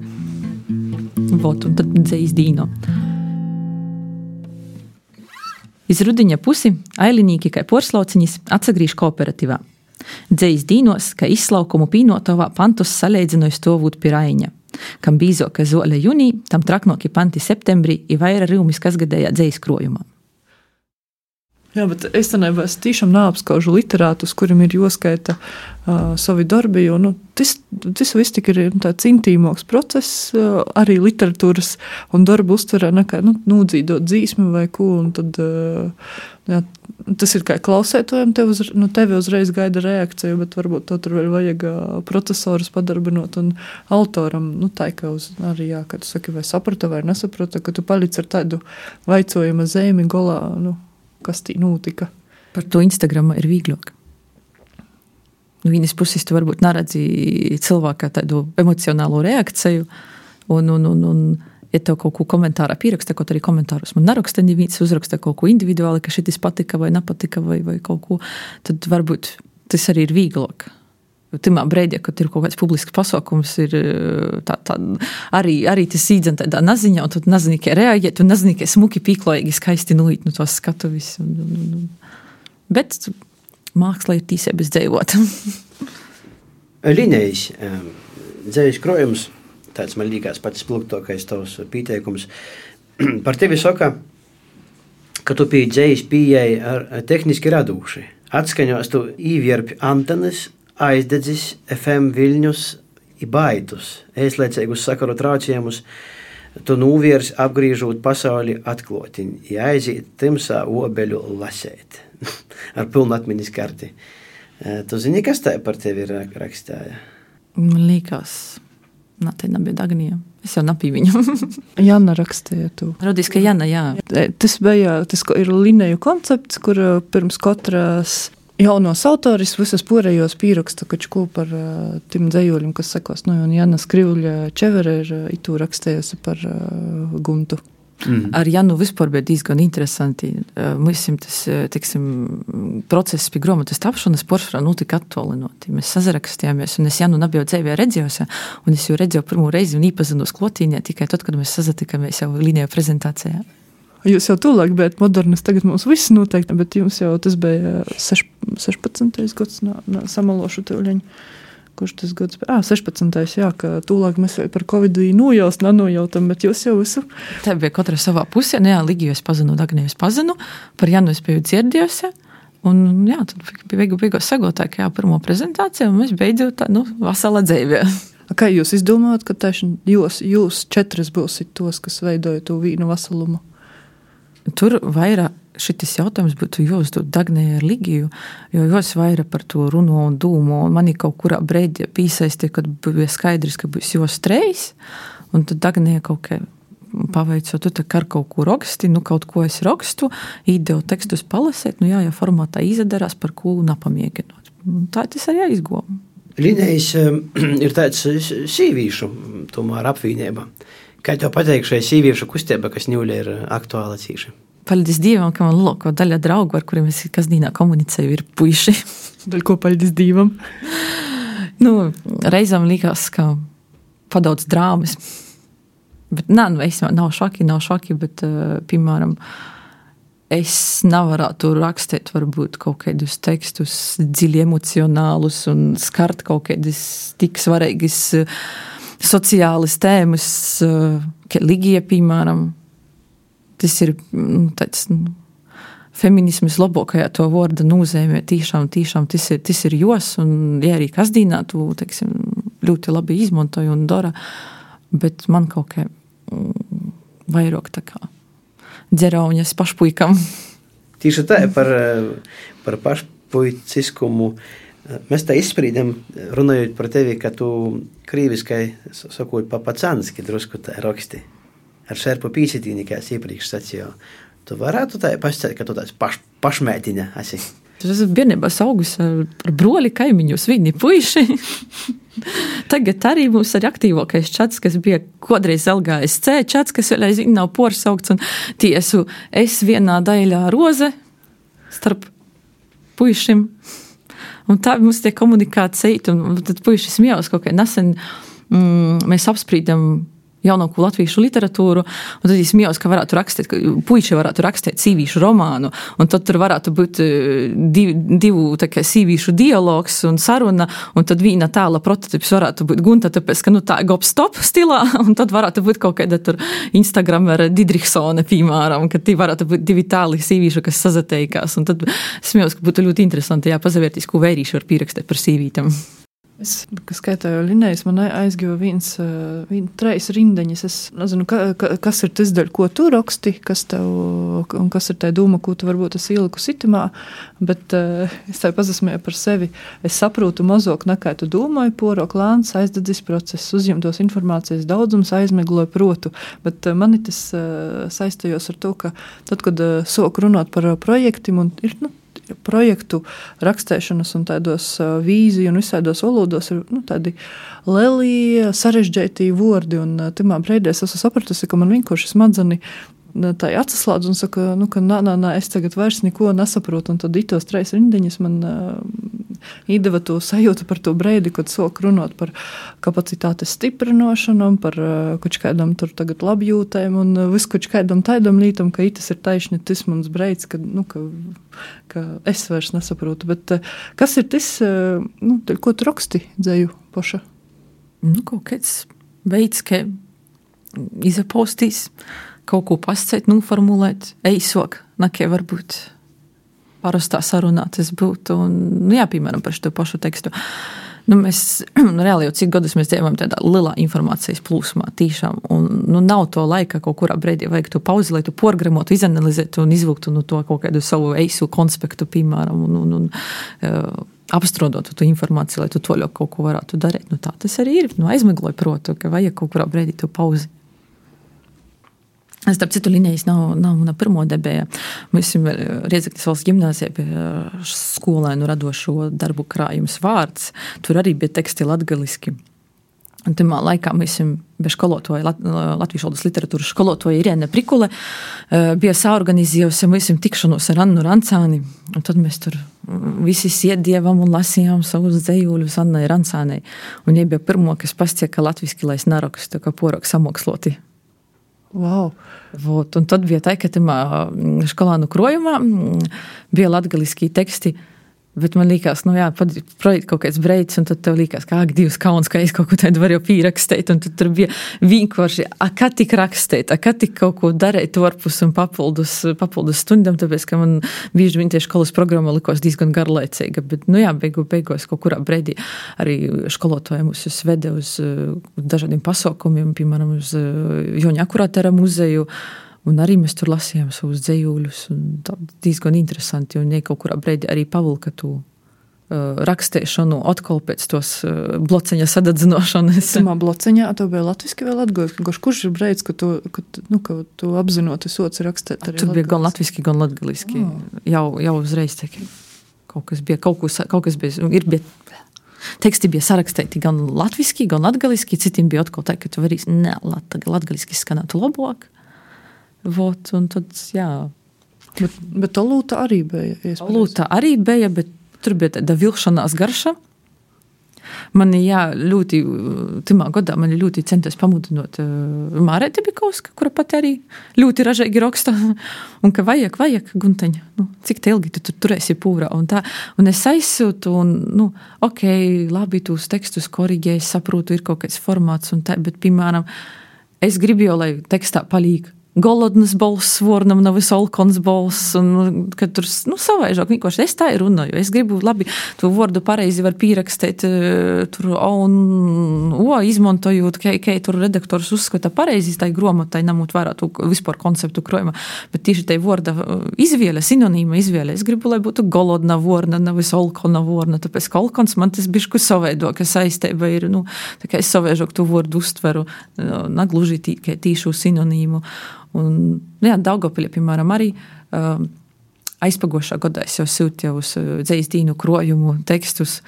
Vot, un tad dzejas dīno. Iz rudiņa pusi ailinīki kai porslauciņis atsagrīž kooperatīvā. Dzejas dīnos, ka izslaukumu pīnotovā pantus saleidzinoj stovūt Piraiņa. Kam bīzoka zole junī, tam traknoki panti septembrī i vaira rīumis kasgadējā dzejas krojumā. Jā, bet es tanībā es tīšām neapskaužu literātus, kurim ir joskaita uh, savi darbi, jo nu, tas, tas viss tik ir tāds intīmoks process, uh, arī literatūras un darbu uztverē nekā nu, nūdzīdot dzīsmi vai ko, un tad uh, jā, tas ir kā klausētojam, tev uz, nu, tevi uzreiz gaida reakciju, bet varbūt to tur vēl vajag uh, procesorus padarbinot un autoram, nu tā kā uz arī, jā, kad tu saki, vai saprata vai nesaprata, ka tu palic ar tādu vaicojuma zīmi golā, nu, kas tī notika. Par to Instagramā ir vīglāk. No vienas puses tu varbūt neredzi cilvēkā tādu emocionālo reakciju, un, un, un, un ja tev kaut ko komentārā pieraksta, kaut arī komentārus man neraksta, neviens uzraksta kaut ko individuāli, ka šitis patika vai nepatika vai, vai kaut ko, tad varbūt tas arī ir vīglāk. Timā breidē, kad ir kaut kāds publisks pasaukums, ir tā, tā, arī, arī tas īdzen tādā naziņā, un tu nazini, kā reaģēt, un nazini, kā smuki pīklojīgi skaisti nulīt no tos skatuvis. Un, un, un. Bet māksla ir tīsēbas dzējot. Linējis, dzējas krojums, tāds man līkās pats spilgtokais tavs pīteikums. Par tevi saka, ka tu pie dzējas pieejai ar tehniski radūši. Atskaņos tu īvierpi antenes, aizdedzis F M Viļņus i baitus, ēslēcēgus sakaru traucējumus, tu nūviers apgrīžūt pasauli atklotiņ, i aiziet timsā obeļu lasēt, ar pilnu atmiņas karti. Tu zini, kas tā par tevi rakstāja? Man liekas, Nā, te nebija Dagnija. Es jau napīju viņu. Jana rakstīja to. Rodīs, ka Jana, jā. Tas bija, tas ir lineju koncepts, kur pirms katras jaunos autoris visas porējos pīraksta kačku par uh, tim dzējoļiem, kas sekos. Nu, un Jana Skrivļa Čevere ir uh, itu rakstījusi par uh, Guntu. Mm. Ar Janu vispār bija diezgan interesanti. Mēs tas, teiksim, process pie grāmatas tapšanas poršā notika attolinoti. Mēs sazarakstījāmies, un es Janu nebiju dzīvē redzējusi, un es jau redzēju pirmo reizi un īpazinos klotīņā tikai tad, kad mēs sazatikāmies jau līnijā prezentācijā. Jūs jau tūlāk bijat modernis, tagad mums viss noteikti, bet jums jau tas bija sešpadsmitais gads, nā, nā, samalošu tūliņu. Kurš tas gads bija? Ā, sešpadsmitais, jā, ka tūlāk mēs par Covidu nojaust, nenojautam, bet jūs jau visu. Tā bija katra savā pusē, nu jā, Ligiju es pazinu, Dagniju es pazinu, par Janu es biju dzirdējusi, un jā, tad beigu beigās sagotā, ka jā, pirmo prezentāciju, un mēs beidzot tā, nu, vasala dzīvē. Kā jūs izdomājat, ka tieši jūs, jūs četras būsit tos, kas veidoja to vīnu vasalumu? Tur vairāk šitis jautājums būtu jāuzdod Dagnijai ar Ligiju, jo jūs vairāk par to runo un dūmo, un mani kaut kurā breidī pīsaisti, kad bija skaidrs, ka būs jūs treis, un tad Dagnija kaut kā paveico, tu tā kā ar kaut ko raksti, nu kaut ko es rakstu, īdevu tekstus palasēt, nu jā, ja formātā izadarās, par ko napamiekinot. Tā tas arī jāizgoma. Linējs ir tāds sīvīšu, tomēr apvīnība. Kā tev pateik šai sīvīšu kustība, kas ņūļa ir aktuāla cīši? Paldies Dievam, ka man loko daļa draugu, ar kuriem es kasdīnā komunicēju, ir puiši. Daļ ko paldies Dievam? Nu, reizam likās, ka padaudz drāmas. Bet nā, nu, es nav šoki, nav šoki, bet, uh, piemēram, es nevarētu rakstīt varbūt kaut kādus tekstus dziļi emocionālus un skart kaut kādus tik svarīgas uh, sociālas tēmas, uh, kā Ligija, piemēram. Tas ir nu, tāds nu, feminisms labākajā to vārda nozīmē. Tīšām, tīšām tas ir, tas ir jos, un ja arī kasdīnā tu, teiksim, ļoti labi izmantoju un dara, bet man kaut kā mm, vairāk tā kā dzerauņas pašpuikam. Tīši tā par, par pašpuiciskumu. Mēs tā izsprīdam, runājot par tevi, ka tu krīviskai sakot pa pacanski drusku tā raksti. Ar šerpu pīsitīni, kā es iepriekš sacīju. Tu varētu tā pastāstīt, ka tu tāds paš, pašmētiņa esi. Tas ir bērnībās augus ar broli kaimiņus, viņi puiši. Tagad arī mums ir aktīvākais čats, kas bija kodreiz L G S C čats, kas vēl aizvien nav porsaukts, un tiesu es vienā daļā roze starp puišiem. Un tā mums tie komunikācija, un tad puiši smējās kaut kā nesen, mm, mēs apsprīdam jaunāko latviešu literatūru, un tad es smējos, ka varētu rakstīt, ka puiši varētu rakstīt sīvīšu romānu, un tad tur varētu būt div, divu tā kā sīvīšu dialogs un saruna, un tad vīna tāla prototips varētu būt Gunta, tāpēc, ka nu tā gop-stop stilā, un tad varētu būt kaut kāda tur Instagramera Didriksone, piemēram, ka tī varētu būt divi tāli sīvīšu, kas sazateikās, un tad smējos, ka būtu ļoti interesanti, jā, pazavērtīs, ko vērīšu var pierakstīt par sīvītam. Es, kas skaitēju Linējas, man aizgāja viens, viens treis rindeņas. Es nezinu, ka, ka, kas ir tas daļ, ko tu raksti, kas tev, un kas ir tā doma, ko tu varbūt esi ieliku sitimā, bet uh, es tā pazasmēju par sevi. Es saprotu mazāk nekā tu domāju, porok lēns, aizdadzis process, uzņemtos informācijas daudzums, aizmegloju protu, bet uh, mani tas uh, saistījos ar to, ka tad, kad uh, sāku runāt par uh, projektiem, un ir, nu, projektu rakstēšanas un tādos uh, vīziju un visādos valodos ir nu, tādi lieli sarežģīti vārdi, un uh, timā breidē es esmu sapratusi, ka man vienkārši smadzeni tā atsaslādz un saka, nu, ka nā, nā, nā, es tagad vairs neko nesaprotu, un tad itos treis rindiņas man uh, īdeva to sajūtu par to breidi, kad sāk runāt par kapacitātes stiprinošanu, par uh, kaut kādam tur tagad labjūtēm un uh, visu kaut kādam taidam lītam, ka itas ir taišņi, tas mans breids, ka, nu, ka, ka es vairs nesaprotu. Bet uh, kas ir tas, uh, nu, ko tu raksti dzēju poša? Nu, kaut kāds veids, ka izapostīs, kaut ko pasacēt, noformulēt, eisok, nakē varbūt parastā sarunā tas būtu, un, nu jā, piemēram, par šo pašu tekstu. Nu, mēs, reāli jau cik gadus mēs dzīvojam tādā lielā informācijas plūsmā, tīšām, un, nu, nav to laika, kaut kurā breidī vajag to pauzi, lai tu porgramotu, izanalizētu un izvilktu, nu, to kaut kādu savu eisu konspektu, piemēram, un, un, un apstrodot to informāciju, lai tu toļok kaut ko varētu darīt. Nu, tā tas arī ir. Nu, aizmigloja protu, ka vajag kaut kurā brīdī to pauzi. Starp citu, Linējas nav, nav mana pirmo debēja. Mēs esam Riedzeknes valsts gimnāzijā pie skolēnu radošo darbu krājums vārds. Tur arī bija teksti latgaliski. Un tamā laikā mēs esam bez školotoja, Lat, latviešu valodas literatūras školotoja Irēna Prikule, bija saorganizējusi, mēs esam tikšanos ar Annu Rancāni, un tad mēs tur visi siedievam un lasījām savus dzejūļus Annai Rancānei. Un viņa bija pirmo, kas pastie, ka latviski, lai es narakstu, ka porok samoksloti. Wow. Vot, un tad bija tā, ka tamā školānu krojumā bija latgaliskī teksti. Bet man liekas, nu jā, projekt kaut kāds breids, un tad tev liekas, ka ak, divs kauns, ka es kaut ko tādu varu jau pīrakstēt, un tad tur bija vienkārši, a, kā tik rakstēt, a, kā tik kaut ko darēt varpus un papildus, papildus stundam, tāpēc, ka man bieži vien tieši školas programma likos diezgan garlaicīga, bet, nu jā, beigu, beigos kaut kurā breidī arī školotoja mūs svede uz dažādiem pasaukumiem, piemēram, uz Joņa Akurātera muzeju, un arī mēs tur lasījām savus dzejūļus, un tā diezgan interesanti, un ja kaut kurā breidī arī pavilka tu uh, rakstēšanu atkal pēc tos uh, bloceņa sadadzinošanas. Tamā bloceņā tev bija latviski vai latgaliski? Kurš ir breids, ka tu, ka, nu, ka tu apzinoti soci rakstēt arī latgaliski? Tur bija gan latviski, gan latgaliski. Oh. Jau, jau uzreiz teki. Kaut kas bija, kaut, kas, kaut kas bija, ir bija... Teksti bija sarakstēti gan latviski, gan latgaliski, citiem bija atkal tā, ka tu varīs, ne, lat, latgaliski skanētu labāk. Vot, un tad, jā. Bet, bet olūta arī bija. Olūta arī bija, bet tur bija tāda vilšanās garša. Mani, jā, ļoti, timā godā mani ļoti centās pamudinot uh, Mārēte Bikovska, kura pat arī ļoti ražīgi raksta, un ka vajag, vajag, Gunteņa, nu, cik te ilgi tu tur turēsi pūrā, un tā, un es aizsūtu, un, nu, ok, labi, tūs tekstus korigē, es saprotu, ir kaut kāds formāts, un tā, bet, piemēram, es gribu jau, lai tekstā palīk golodnas balss, vornam nav visolkons balss, un kad tur, nu, savaižāk, vienkārši es tā ir runāju. Es gribu, labi, tu vordu pareizi var pīrakstēt, tur, un, o, izmantojot, ka, ka tur redaktors uzskata pareizi, tai gromatai namūt vērā tu vispār konceptu krojumā, bet tieši tai vorda izvēle, sinonīma izvēle. Es gribu, lai būtu golodna vorna, nav visolkona vorna, tāpēc kolkons man tas bišku savaido, ka saisteiba ir, nu, tā kā es savaižāk tu vordu uztveru, nagluži tī, tīšu sinonīmu. Un, nu jā, Daugavpilī, piemēram, arī uh, aizpagošā gadā es jau sūtīju uz uh, dzejas dīnu krojumu tekstus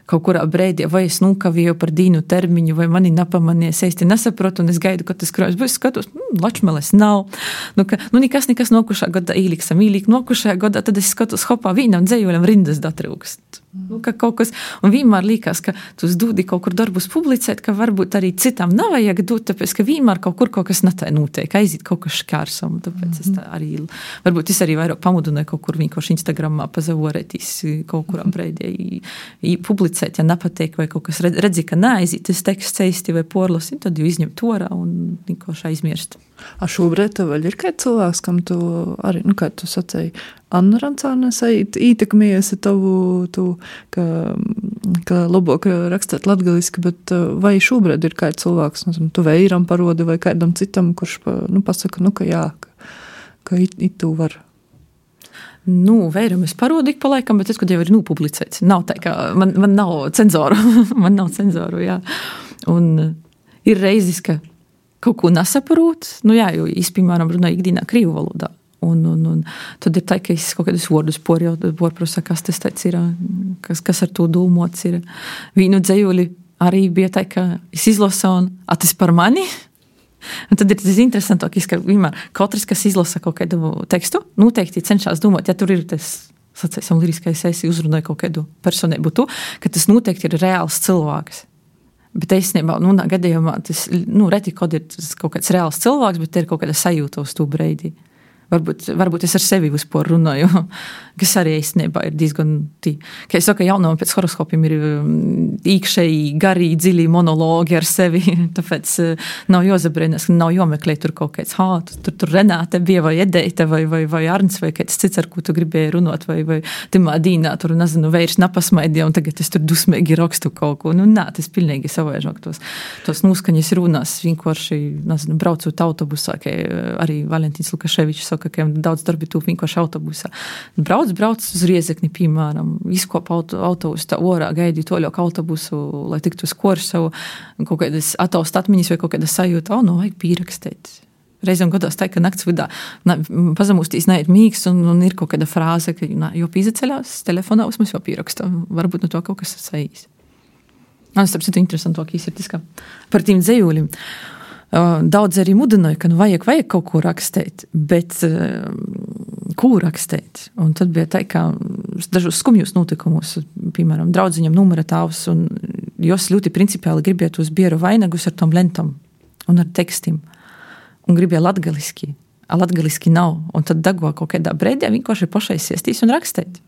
kaut kurā breidī, vai es nukavēju par dīnu termiņu, vai mani napamanies, es te nesaprotu, un es gaidu, ka tas krojums, bet es skatos, mm, lačmeles nav. Nu, ka, nu, nekas, nekas nokušā gadā īliksam, īlik nokušajā gadā, tad es skatos, hopā, vīnam dzējuļam rindas datrūkst. Nu, ka kaut kas, un vienmēr līkās, ka tu dūdi kaut kur darbus publicēt, ka varbūt arī citam nav vajag dūt, tāpēc, ka vienmēr kaut kur kaut kas netai notiek, aiziet kaut kas škārsam, tāpēc mm-hmm. es tā arī, varbūt es arī vairāk pamudināju kaut kur vienkārši Instagramā pazavorētīs kaut kurā breidī, i publicēt, ja nepateik, vai kaut kas redzi, ka neaiziet, tas teksts eisti vai porlasi, tad jau izņem torā un vienkārši aizmirst. A šobrīd tev vēl ir kāds cilvēks, kam tu arī, nu, kā tu sacēji, Anna Rancāne ietekmējies tavu, tu, ka, ka labāk rakstēt latgaliski, bet vai šobrīd ir kāds cilvēks, nu, tu veiram parodi vai kādam citam, kurš, nu, pasaka, nu, ka jā, ka, ka it, it tu var. Nu, veiram es parodu ik pa laikam, bet es, kad jau ir nopublicēts. Nav tā, ka man, man nav cenzoru. man nav cenzoru, jā. Un ir reizes, ka kaut ko nesaprot, nu jā, jo es, piemēram, runāju ikdienā krīvu valodā. Un, un, un tad ir tā, ka es kaut kādus vārdus porprosu, kas tas tāds ir, kas, kas ar to domāts ir. Vīnu dzejuli arī bija tā, ka es izlasu un, a, tas par mani? Un tad ir tas interesantākais, ka vienmēr katrs, kas izlasa kaut kādu tekstu, noteikti cenšas domāt, ja tur ir tas, sacēsim, liriskais esi uzrunāja kaut kādu personību tu, ka tas noteikti ir reāls cilvēks. Bet īstenībā, nu, gadījumā tas, nu, reti, kad ir tas kaut kāds reāls cilvēks, bet ir kaut kāda sajūta uz to breidi. Varbūt, varbūt es ar sevi vispār runāju, kas arī īstenībā ir diezgan tī. Kā es saku, jaunam pēc horoskopiem ir īkšēji, garī, dziļi monologi ar sevi, tāpēc nav jāzabrīnās, nav jāmeklē tur kaut kāds, hā, tur, tur Renāte bija, vai Edeita, vai, vai, vai Arns, vai kāds cits, ar ko tu gribēji runāt, vai, vai timā dīnā, tur, nezinu, vairs napasmaidīja, un tagad es tur dusmīgi rakstu kaut ko. Nu, nā, tas pilnīgi savaižāk tos, tos noskaņas runās, vienkārši, nezinu, braucot autobusā, kā arī Valentīns Lukaševičs saka, ka daudz darbi tūp vienkārši autobusā. Brauc, brauc uz Riezekni, piemēram, izkop auto, autobusu tā orā, gaidi toļok autobusu, lai tiktu uz Korsavu, kaut kādas ataust atmiņas vai kaut kāda sajūta, o, nu, vajag pīrakstēt. Reizēm gadās tā, ka nakts vidā na, pazamūstīs neiet mīgs un, un ir kaut kāda frāze, ka na, jo pīzaceļās telefonā uzmas jau pīraksta. Varbūt no to kaut kas sajīs. Man starp citu interesantākīs ir tas, ka par tīm dzejūlim. Daudz arī mudināja, ka nu vajag, vajag kaut ko rakstēt, bet uh, ko rakstēt? Un tad bija tā, ka dažos skumjos notikumus, piemēram, draudziņam numura tāvs, un jos ļoti principiāli gribētu uz bieru vainagus ar tom lentam un ar tekstim. Un gribēja latgaliski, a latgaliski nav. Un tad dago kaut kādā brēdē vienkārši pašai siestīs un rakstēt.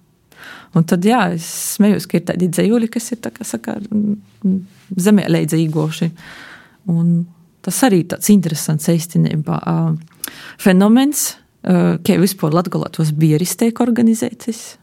Un tad, jā, es smējos, ka ir tādi dzejūļi, kas ir, tā kā saka, zemē leidza īgoši. Un tas arī tāds interesants īstenībā fenomens, ka vispār Latgolā tos bieris tiek organizētas,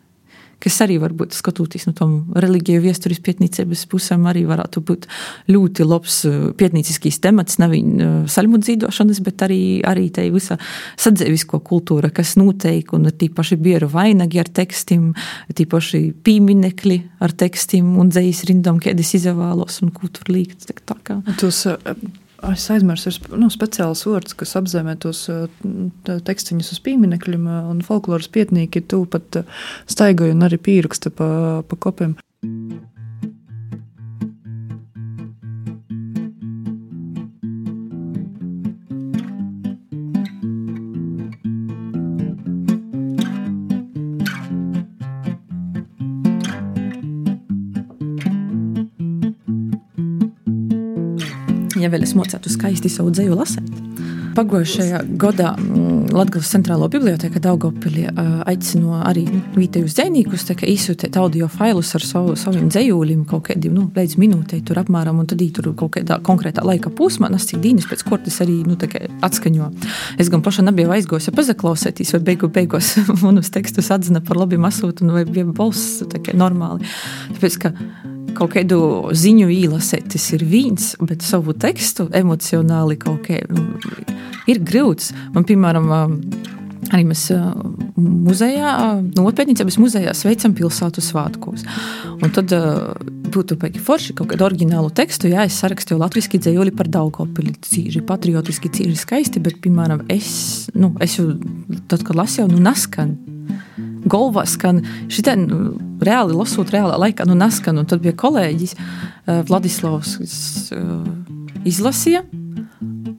kas arī varbūt skatoties no tom religiju viesturis pietnīcības pusēm arī varētu būt ļoti labs pietnīciskīs temats, nevien saļmu dzīdošanas, bet arī, arī tai visa sadzēvisko kultūra, kas noteik, un tī paši bieru vainagi ar tekstim, tī paši pīminekļi ar tekstim un dzējis rindom, kēdis izavālos un ko tur līgt. Tā kā. Tos, es aizmirsu, ir nu, speciāls vārds, kas apzīmē tos tekstiņus uz pīminekļiem, un folkloras pietnīki tu pat staigoja un arī pīraksta pa, pa kopiem. Ja vēl es mocētu skaisti savu dzeju lasēt. Pagojušajā gadā Latgales centrālo biblioteka Daugavpilī aicino arī vietējus dzejnīkus izsūtīt audio failus ar savu, saviem dzejūlim kaut kādiem, nu, līdz minūtei tur apmēram, un tad tur kaut kādā konkrētā laika posmā, nas cik dīnis pēc kortis arī, nu, tā kā atskaņo. Es gan paša nebija aizgojusi pazaklausētīs, vai beigu beigos manus tekstus atzina par labi masūt, un vai bija balss tā kā normāli. Tāpēc, ka kaut kādu ziņu īlasēt, tas ir vīns, bet savu tekstu emocionāli kaut kā ir grūts. Man, piemēram, arī mēs muzejā, nopietnīcības muzejā sveicam pilsētu svātkos. Un tad būtu paiki forši kaut kādu oriģinālu tekstu, jā, es sarakstīju latviski dzejoli par Daugavpili, cīži patriotiski, cīži skaisti, bet, piemēram, es, nu, es jau, tad, kad lasīju, nu, naskan. Golvā skan, šitā nu, reāli lasot reālā laikā, nu naskan, un tad bija kolēģis uh, Vladislavs, kas uh, izlasīja,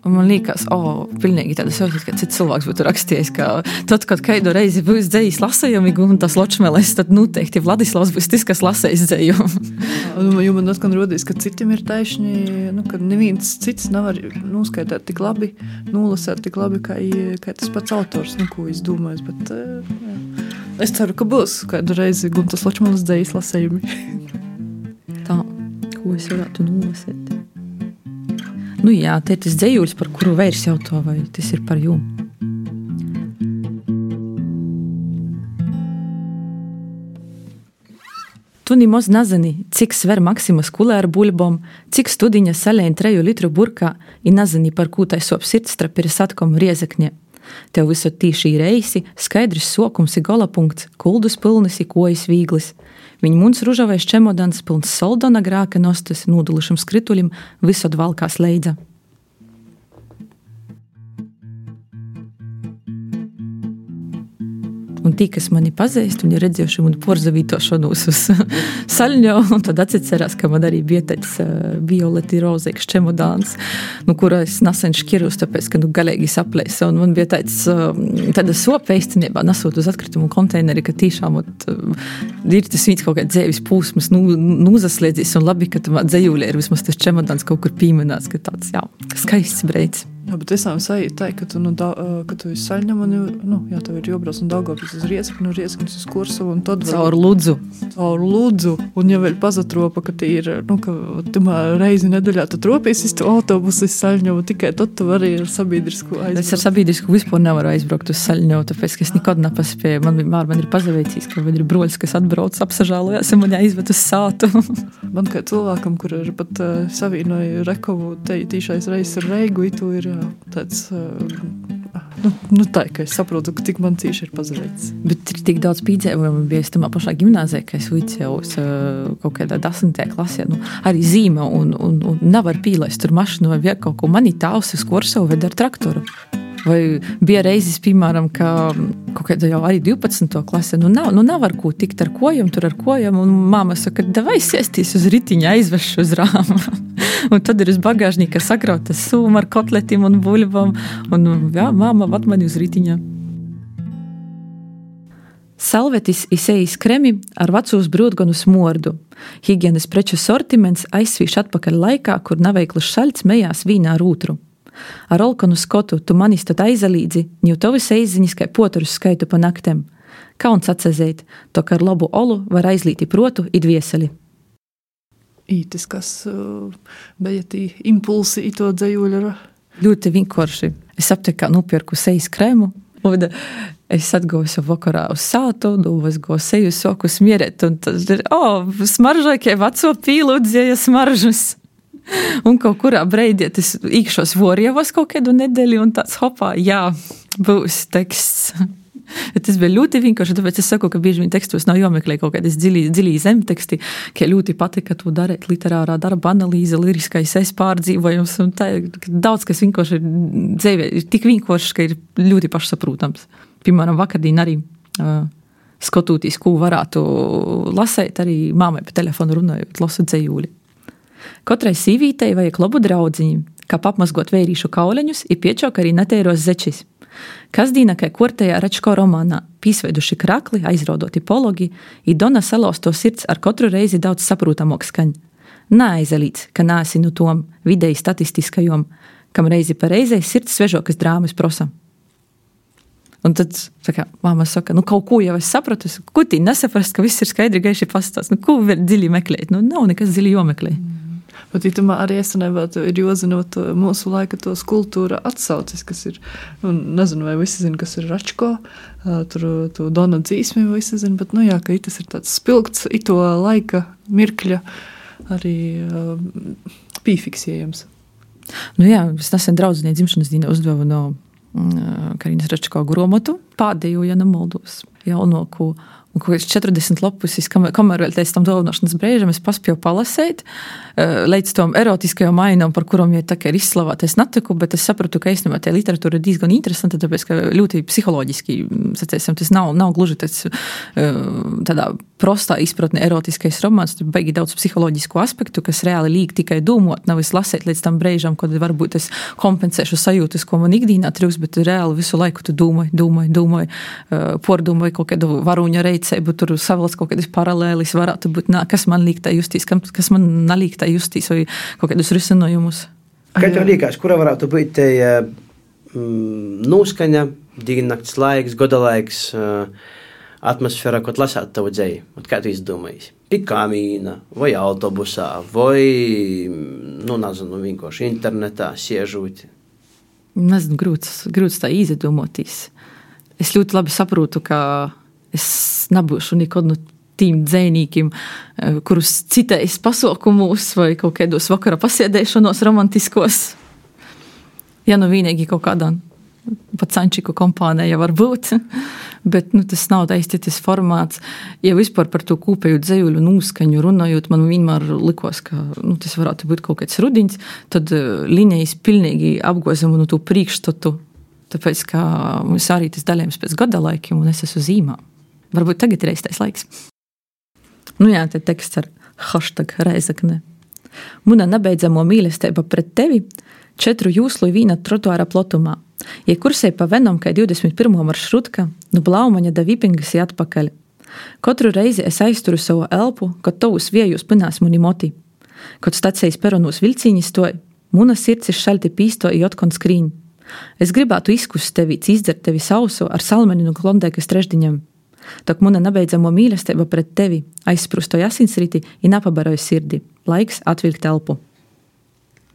un man liekas, o, oh, pilnīgi tāda sajūta, ka cits cilvēks būtu rakstījis, ka tad, kad kādu reizi būs dzejis lasējumi, un tas ločmeles, tad noteikti Vladislavs būs tas, kas lasējis dzeju. Jo man atkal rodīs, ka citim ir taišņi, nu, ka neviens cits nevar noskaitāt tik labi, nolasēt tik labi, kā, kā tas pats autors, nu, ko es domāju, bet jā. Es ceru, ka būs kādu reizi Guntas Ločmalas dzejas lasējumi. Tā, ko es varētu nolasēt? Nu jā, te ir tas dzejūļs, par kuru vairs jautā, vai tas ir par jū. Tu nimoz nazini, cik sver Maksimas kulē ar buļbom, cik studiņa salēn treju litru burkā, i nazini, par kū tai sop sirdstrapi ir satkom Riezekņē. Tev visot tīšī reisi, skaidrs sokums i golapunkts, kuldus pilnis i kojas vīglis. Viņ muns ružavais čemodans pilns soldona grāka nostas nūdulušam skritulim visot valkās leidza. Un tī, kas mani pazīst, viņi ir redzējuši mani porzavītošanos uz saļņo, un tad atcerās, ka man arī bija tāds uh, violeti rozēks čemodāns, nu, kura es nesen škirus, tāpēc, ka nu, galīgi saplēsa, un man bija tāds, uh, tāda sopa īstenībā nasot uz atkritumu konteineri, ka tīšām ot, uh, ir tas vīds kaut kā dzēvis pūsmas, nu, nūzaslēdzīs, un labi, ka tamā dzejūlē ir vismaz tas čemodāns kaut kur pīmenāts, ka tāds, jā, skaists breids. Jā, bet es sajūtu tā, ka tu, nu, da, ka tu esi saļņam, un, nu, jā, tev ir jobrauc un Daugavpils uz Riezekni, un Riezeknis uz Korsavu, un tad vēl... Caur Ludzu. Caur Ludzu, un ja vēl pazatropa, ka tī ir, nu, ka tumā reizi nedaļā tu tropies iz tu autobusu iz Saļņovu, tikai tad tu vari ar sabiedrisku aizbraukt. Es ar sabiedrisku vispār nevaru aizbraukt uz Saļņovu, tāpēc, ka es nekad nepaspēju. Man vienmēr man ir pazaveicīs, ka man ir broļs, kas atbrauc, apsažālojās, un man jāizved uz sātu. Man kā cilvēkam, kur ir pat uh, savīnoja Rekovu te, tīšais reizes ar Reigu, itu ir uh, tāds uh, Nu, nu tā, ka es saprotu, ka tik man cīši ir pazareits. Bet ir tik daudz pīdzējumu, bija es tamā pašā gimnāzē, ka es vicējos uh, kaut kādā desmitajā klasē, nu, arī zīme un, un, un nevar pīlaist tur mašinu vai vēl kaut ko. Mani tāvs uz Korsovu ved ar traktoru. Vai bija reizes, piemēram, ka kaut kādā jau arī divpadsmitā klasē, nu nav, nu nav ar ko tikt ar kojam, tur ar kojam, un māma saka, davai sēstīs uz ritiņa, aizvešu uz rāma. Un tad ir uz bagāžnīka sakrauta sūma ar kotletim un buļvam, un jā, māma vad mani uz ritiņa. Salvetis izejis kremi ar vecūs brūdgonu smordu. Higienas preču sortiments aizsvīš atpakaļ laikā, kur naveiklis šaļts mejās vīnā ar ūtru. Ar olkonu skotu tu manis tad aizalīdzi, ņu tovis eiziņas kai poturus skaitu pa naktem. Kauns atsazēt, to, ka ar labu olu var aizlīti protu i dvieseli. Ītis, kas uh, bija tī impulsi i to dzējuļa. Ļoti vienkārši. Es apteku, kā nupirku sejas krēmu, un es atgoju vakarā uz sātu, es goju seju soku smierēt, un tas ir, o, smaržai, kai veco pīlu dzēja smaržas. Un kaut kurā breidī tas īkšos vorjevos kaut kādu nedēļu, un tāds hopā, jā, būs teksts. Tas bija ļoti vienkārši, tāpēc es saku, ka bieži vien tekstos nav jāmeklē kaut kādas dziļī, dziļī zemteksti, ka ļoti patika to darīt literārā darba analīze, liriskais es pārdzīvojums, un tā ir daudz, kas vienkārši ir dzīvē, ir tik vienkārši, ka ir ļoti pašsaprūtams. Piemēram, vakardien arī uh, skotūtīs, ko varētu lasēt, arī māmai pa telefonu runājot, lasu dzējūli. Katrai sīvītei vajag labu draudziņu, kā apmazgot veirīšu kauleņus i piečok arī neteiros zečis. Kasdīna, kai kortējā Račko romānā, pīsveiduši krakli, aizraudoti pologi, i Dona salausto sirds ar katru reizi daudz saprūtamok skaņ. Neaizalīts, ka nāsi nu tom videi statistiskajom, kam reizi pa reizei sirds svežokas drāmas prosa. Un tad, saka, māma saka, nu kaut ko jau es sapratu, ko tī nesaprast, ka viss ir skaidri gaiši pastāst, nu ko vēl dziļi meklēt, nu nav nekas dziļi jomeklē. Bet itamā arī esanībā ir jozinot mūsu laika tos kultūra atsaucis, kas ir, nu, nezinu, vai visi zina, kas ir Račko, tur to Dona dzīsmi visi zina, bet, nu jā, ka itas ir tāds spilgts, ito laika mirkļa arī pīfiksējams. Nu jā, es nesen draudzinē dzimšanas dīna uzdevu no Karinas Račko gromotu, pādēju, ja nemaldos, jaunoku, un ko es četrdesmit lapusis, kamēr vēl teicu tam dāvināšanas brēžam, es paspēju palasēt, līdz tom erotiskajām mainām, par kurām jau tā kā ir izslavāta, es netiku, bet es sapratu, ka īstenībā tā literatūra ir diezgan interesanta, tāpēc, ka ļoti psiholoģiski, sacēsim, tas nav, nav gluži tāds tādā prostā izpratne erotiskais romāns, tur baigi daudz psiholoģisku aspektu, kas reāli līg tikai dūmot, nav es lasēt līdz tam brēžam, kad varbūt es kompensēšu sajūtas, ko man ikdīnā trūks, bet reāli visu laiku tu dūmoji, dūmoji, dūmoji, pordūmoji kaut kādu varuņa reicēbu, tur savalc kaut kādas paralēlis varētu būt, nā, kas man līk tā justīs, kas man nalīk tā justīs, vai kaut kādus risinojumus. Kā tev līkās, kura varētu būt te mm, nūskaņa, diennakts laiks, godalaiks, atmosfēra, ko lasāt tavu dzēju? Kā tu izdomājies? Pie kamīna, vai autobusā, vai, nu, nezinu, vienkārši internetā siežūt? Nezinu, grūts, grūts tā izdomotīs. Es ļoti labi saprotu, ka es nebūšu nekad no tīm dzējnīkiem, kurus citējas pasaukumus vai kaut kādos vakara pasēdēšanos romantiskos. Ja nu vienīgi kaut kādā pacančiku kompānija var būt, bet nu, tas nav īsti tas formāts. Ja vispār par to kūpēju dzējuļu nūskaņu runājot, man vienmēr likos, ka nu, tas varētu būt kaut kāds rudiņš, tad uh, linijas pilnīgi apgozam no to priekšstatu, tāpēc, ka mums arī tas daļējums pēc gada laikiem un es esmu zīmā. Varbūt tagad ir reiztais laiks. Nu jā, te teksts ar hashtag reizakne. Muna nebeidzamo mīlestība pret tevi četru jūslu vīna trotuāra plotumā. Ja kursēja pa venom, kai divdesmit pirmo maršrutka, nu blaumaņa da vipingas i atpakaļ. Katru reizi es aizturu savu elpu, kad tavus viejus pinās muni moti. Kad stacijas peronūs vilcīņi stoj, muna sirds ir šalti pīsto i otkon skrīņ. Es gribētu izkust tevi, izdzert tevi sausu ar salmeninu klondēkas trešdiņam. Tak muna nebeidzamo mīlestība pret tevi aizsprustoja asinsriti i napabaroja sirdi. Laiks atvilkt elpu.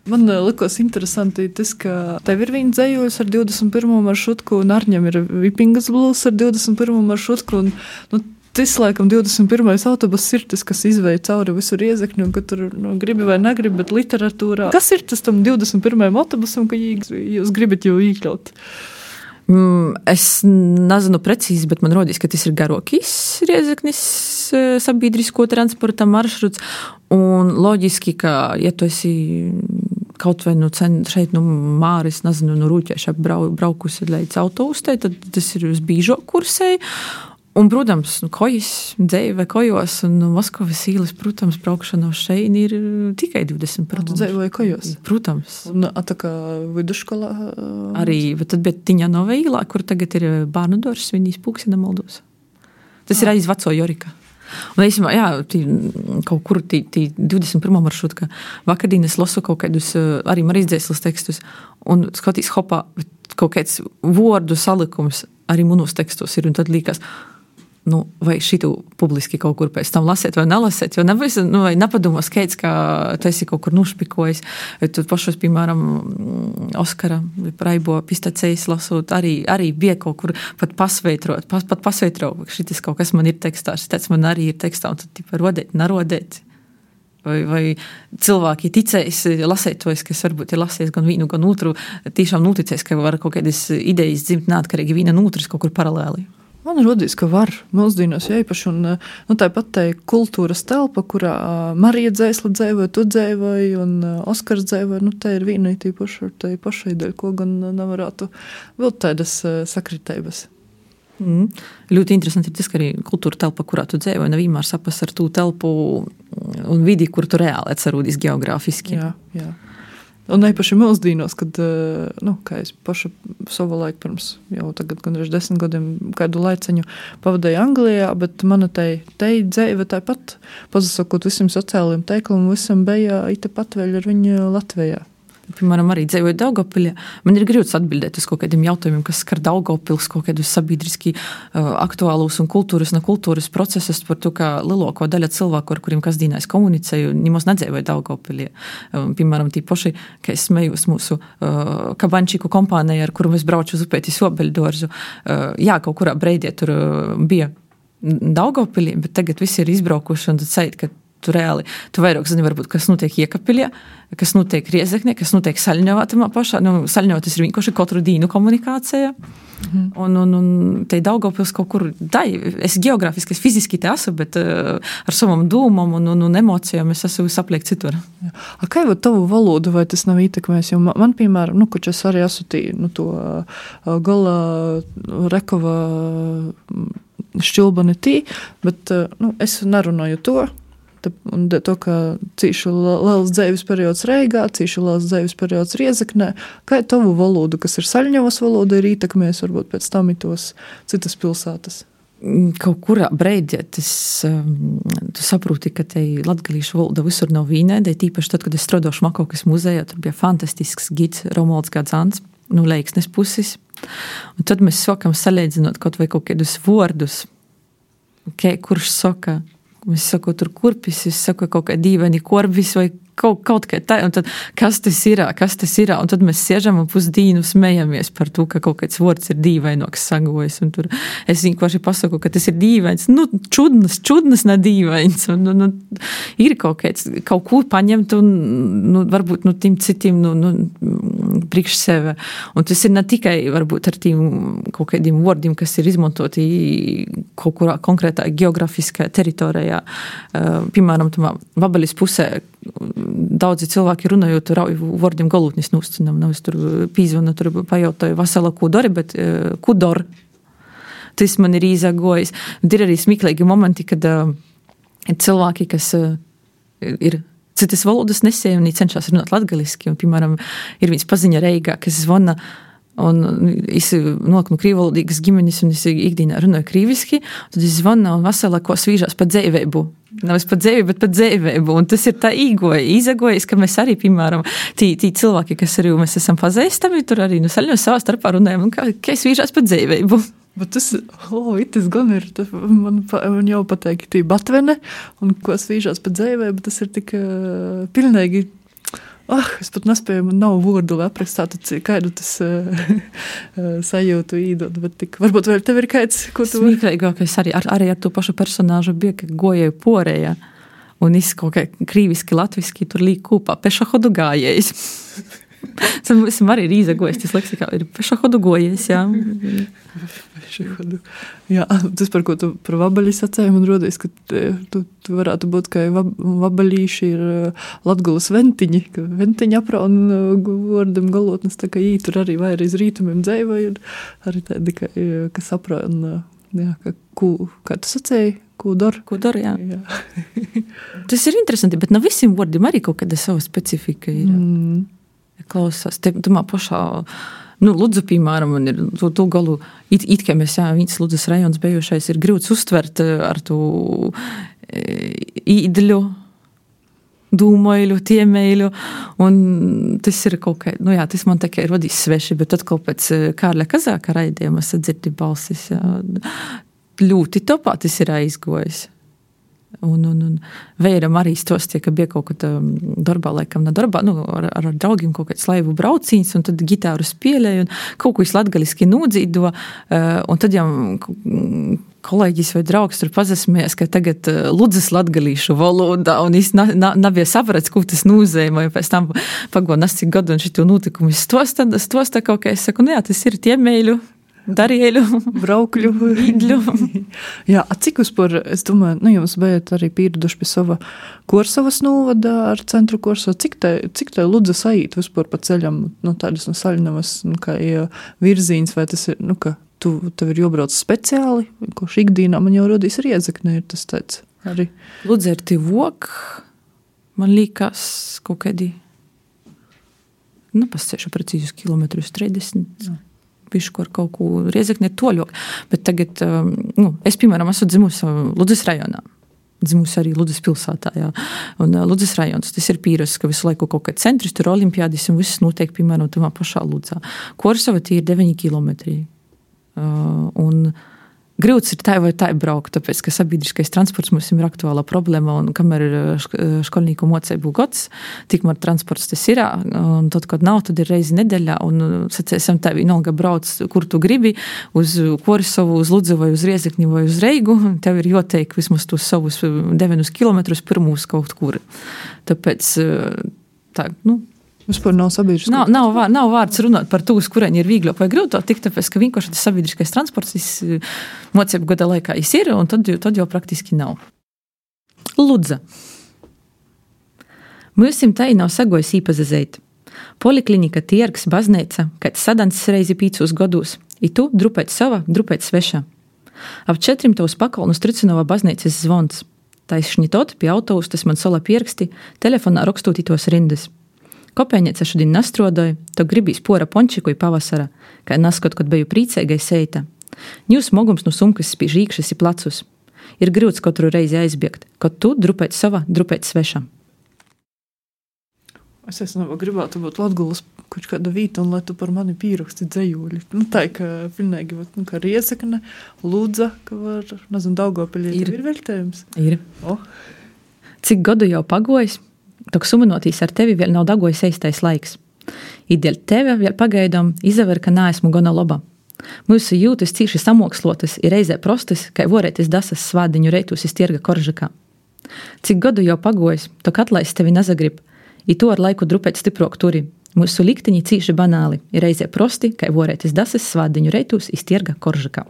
Man likos interesanti tas, ka tev ir viņa dzējuļs ar divdesmit pirmo maršrutku un Arņam ir Vipingas blues ar divdesmit pirmo maršrutku un, nu, tas, laikam, divdesmit pirmais autobus ir tas, kas izveja cauri visu Riezekni un ka tur, nu, gribi vai negribi, bet literatūrā. Kas ir tas tam divdesmit pirmajam autobusam, ka jūs gribat jau īkļaut? Es nezinu precīzi, bet man rodīs, ka tas ir garākais Riezeknis sabiedrisko transporta maršruts. Un loģiski, ka, ja tu esi kaut vai nu šeit, nu, Māris, nezinu, nu, Rūķieša brau, braukusi līdz autoustē, tad tas ir uz bīžo kursei. Un, protams, nu, kojas, dzeive kojos un Moskavas īles, protams, braukšana uz šeit ir tikai divdesmit par Tu dzeivoji kojos? Protams. Un tā kā viduškolā? Arī, bet tad bija Tiņanova īlā, kur tagad ir bērnu dors, viņīs pūksina Moldovas. Tas ir aiz veco Jorika. Un īsumā, jā, tī, kaut kur tī, tī divdesmit pirmā maršruta, ka vakardien es lasu kaut kādus arī Marijas Dzēsles tekstus un skatīs hopā kaut kāds vordu salikums arī manos tekstos ir un tad līkās, nu, vai šitu publiski kaut kur pēc tam lasēt vai nelasēt, jo nebūs, nu, vai nepadomās kāds, ka tu esi kaut kur nušpikojis, vai tu pašos, piemēram, Oskara Raibo pistacējs lasot, arī, arī bija kaut kur pat pasveitrot, pas, pat pasveitrot, šitis kaut kas man ir tekstā, šitais man arī ir tekstā, un tad, tipa, rodēt, nerodēt. Vai, vai cilvēki ticējis, lasētojis, kas varbūt ir lasījis gan vienu, gan otru, tiešām noticējis, ka var kaut kādas idejas dzimt neatkarīgi viena un otras kaut kur paralēli. Man rodīs, ka var mūsdienos īpaši, un nu, tāpat tai kultūras telpa, kurā Marija Dzēsle dzēvoja, tu dzēvoji, un Oskars dzēvoja, nu, tā ir viena tīpaši ar tai pašai dēļ, ko gan nevarētu vēl tādas sakritēbas. Mm. Ļoti interesanti ir tas, ka arī kultūra telpa, kurā tu dzēvoji, nevienmēr sapas ar tū telpu un vidi, kur tu reāli atcerūdīs geogrāfiski. Jā, jā. Un īpaši mūsdienos, kad, nu, kā es paša savu laiku pirms jau tagad gandrīz desmit gadiem kādu laiciņu pavadēju Anglijā, bet mana tai, tai dzeive tāpat, pasakot visam sociālajiem teikliem, visam bija ite pat vēl ar viņu Latvijā. Piemēram, arī dzēvoju Daugavpilī. Man ir grūts atbildēt uz kaut kādiem jautājumiem, kas skar Daugavpils, kaut kādus sabiedriski uh, aktuālus un kultūras, ne kultūras procesus par to, ka lielāko daļa cilvēku, ar kuriem kasdīnā es komunicēju, nemaz nedzēvoju Daugavpilī. Um, piemēram, tī poši, ka es smējos mūsu uh, kabančiku kompānijai, ar kuru mēs brauču uz upēti Sobeļdorzu. Uh, jā, kaut kurā breidē tur uh, bija Daugavpilī, bet tagad visi ir izbraukuši un tad sajūt, ka tu reāli, tu vairāk zini, varbūt, kas notiek Iekapilē, kas notiek Riezeknē, kas notiek Saļņovā tamā pašā. Nu, Saļņovā tas ir vienkārši katru dīnu komunikācija. Mm. Un, un, un te Daugavpils kaut kur, dai, es geogrāfiski, es fiziski te esmu, bet uh, ar savam dūmam un, un, un emocijām es esmu sapliekt citur. Jā. A, kā jau tavu valodu, vai tas nav ietekmējis? Jo man, man piemēram, nu, koč es arī esmu tī, nu, to uh, Gola Rekova šķilbani tī, bet, uh, nu, es nerunāju to, un to, ka cīšu liels dzeivis periods Reigā, cīšu liels dzeivis periods Riezeknē, kā tavu valodu, kas ir Saļņovas valoda, ir ietekmējis varbūt pēc tam tos citas pilsētas? Kaut kurā breidē tas, um, tu saproti, ka te latgalīšu valoda visur nav vienāda, tīpaši tad, kad es strādāju Šmakovkas muzejā, tur bija fantastisks gids Romualds Gadzāns, nu, Leiksnes puses, un tad mēs sākam salīdzinot kaut vai kaut kādus vārdus, kurš saka, es saku, tur kurpis, es saku, kaut kā dīvaini korbis vai kaut, kaut kā tā, un tad, kas tas ir, kas tas ir, un tad mēs siežam un pusdīnu smejamies par to, ka kaut kāds vārds ir dīvainoks sagojas, un tur es vienkārši pasaku, ka tas ir dīvains, nu, čudnas, čudnas, ne dīvains, un, un, un ir kaut kāds, kaut ko paņemt, un, nu, varbūt, nu, tiem citiem, nu, nu, priekš sevi, un tas ir ne tikai, varbūt, ar tiem kaut kādiem vārdiem, kas ir izmantoti kaut kurā konkrētā geografiskā teritorijā, uh, piemēram, tamā Vabalis pusē, daudzi cilvēki runājot rauju vārdiem galūtnis nūscinam, nav es tur pīzvana, tur pajautāju vasala kudori, bet uh, kudor, tas man ir īzagojis. Ir arī smiklīgi momenti, kad uh, cilvēki, kas uh, ir citas valodas nesēja un cenšas runāt latgaliski, un, piemēram, ir viens paziņa Reigā, kas zvana, un es nolieku no krīvalodīgas ģimenes, un es ikdienā runāju krīviski, tad es zvanu un vasala, ko svīžās pa dzēveibu. Nav es pa dzēvi, bet pa dzēveibu, un tas ir tā īgoja, īzagojas, ka mēs arī, piemēram, tī, tī cilvēki, kas arī mēs esam pazīstami, tur arī nu saļņos savā starpā runājam, un kā, kā svīžās pa dzēveibu. Bet tas, oh, tas gan ir, man, man jau pateikti tī batvene, un ko svīžās pa dzēveibu, tas ir tik uh, pilnīgi, ah, es pat nespēju, man nav vārdu, lai aprakstātu, kādu tas uh, sajūtu īdot, bet tik, varbūt vēl tev ir kāds, ko tu... Smīklīgākais arī, ar, arī ar to pašu personāžu bija, ka gojēju porējā, un es kaut kā krīviski, latviski tur līk kūpā, pešahodu gājējis. Esam arī ir izagojis, tas leksikā ir pešahodu gojies, jā. Pešahodu. Jā, tas, par ko tu par vabaļi sacēji, man rodīs, ka tu, tu varētu būt, ka vab, vabaļīši ir Latgulas ventiņi, ka ventiņi apraun vārdam galotnes, tā kā jī tur arī vairīz rītumiem dzeivoja, arī tādi, ka, kas apraun, jā, ka kū, kā tu sacēji, kūdor. Kūdor, jā. jā. Tas ir interesanti, bet no visiem vārdiem arī kaut kāda sava specifika ir. Mm. Klausās, te, tu mā pašā, nu, Ludzu, piemēram, un ir tu, tu galu, it, it kā mēs, jā, viens Ludzas rajons bijušais ir grūts uztvert ar tu e, īdļu, dūmoiļu, tiemeiļu, un tas ir kaut kā, nu jā, tas man tikai ir vadījis sveši, bet tad kaut pēc Kārļa Kazāka raidījuma sadzirdi balsis, jā, ļoti topā tas ir aizgojis. Un, un, un vēram arī stostie, ka bija kaut kāda darbā, laikam, na darbā, nu, ar, ar draugiem kaut kāds laivu braucīns, un tad gitāru spēlēja, un kaut ko es latgaliski nūdzīdo, un tad jau kolēģis vai draugs tur pazasmējas, ka tagad Ludzas latgalīšu valodā, un es na, na, nabija saprats, ko tas nūzēja, pēc tam pago nasti gadu, un šitu nūtikumu stosta, stosta kaut kā, es saku, nu jā, tas ir tiemēļu, darieļu, braukļu, īdļu. Jā, a cik uzpar, es domāju, nu jums bijat arī pīruduši pie sava Korsavas novada ar centru Korsava, cik tai, cik tai Ludza saīt vispār pa ceļam, nu tādas no Saļnavas, nu kā virzīns, vai tas ir, nu ka tu, tev ir jobrauc speciāli, ko šikdīnā man jau rodīs Riedzekne, ir tas tāds arī. Ludza ir tivok, man līkās kaut kādi, nu pascēšu precīzus kilometrus trīsdesmit. Jā. Pišku ar kaut ko Riedzekne ir toļok, bet tagad, nu, es, piemēram, esmu dzimusi Ludzas rajonā, dzimusi arī Ludzas pilsētā, jā, un Ludzas rajons, tas ir pīras, ka visu laiku kaut kā centris, tur olimpiādis un viss notiek, piemēram, tamā pašā Ludzā. Korsava tie ir deviņi kilometri, uh, un grūts ir tā vai tā braukt, tāpēc, ka sabiedriskais transports mums ir aktuālā problēma, un kamēr ir školnīku moceibu gods, tikmēr transports tas ir, un tad, kad nav, tad ir reizi nedēļā, un sacēsim tā vienalga brauc, kur tu gribi, uz Korsavu, uz Ludzu vai uz Riezekni vai uz Reigu, tev ir joteik vismaz tos savus deviņus kilometrus pirmūs kaut kur. Tāpēc, tā, nu, vispār nav sabiedriskais. Nav, nav, vār, nav vārds runāt par to, uz kurien ir vīgļāk vai grūtāk, tik tāpēc, ka vienkārši tas sabiedriskais transports mocību gada laikā ir, un tad, tad jau praktiski nav. Ludza. Mūsim tai nav sagojis īpazazeit. Poliklinika, tiergs, bazneica, kāds sadans reizi pīcūs godūs, i tu drupēt sava, drupēt sveša. Ap četrim tavs pakalnus Tricinova bazneicis zvons. Taisšņi tot, pie autobus tas man sola pierksti, telefonā rakstūt tos rindas. Kopēņiece šodien nastrodoja, to gribīs pora pončiku i pavasara, kā naskot, kad beju prīcēgai seita. Ņūs mogums no sumkas spīž īkšas i placus. Ir grūts katru reizi aizbiegt, kad tu drupēt sava, drupēt sveša. Es esmu gribētu būt Latgulas kaut kāda vīta, un lai tu par mani pīraksti dzejūļi. Nu, tā, ka pilnīgi, nu, kā Riezekne, Ludza, ka var, nezinu, Daugavpilī ir, ir veļtējums. Ir. O. Cik gadu jau pagojis? Tok sumanotīs ar tevi vēl nav dagojis eistais laiks. Ideļ tevi vēl pagaidām izaver, ka nāesmu gona loba. Mūsu jūtas cīši samokslotas ir reizē prostas, kai vorētis dasas svādiņu reitus iz tierga Koržakā. Cik gadu jau pagojis, tok atlaist tevi nazagrib, i to ar laiku drupēt stiprok turi. Mūsu likteņi cīši banāli ir reizē prosti, kai vorētis dasas svādiņu reitus iz tierga Koržakā.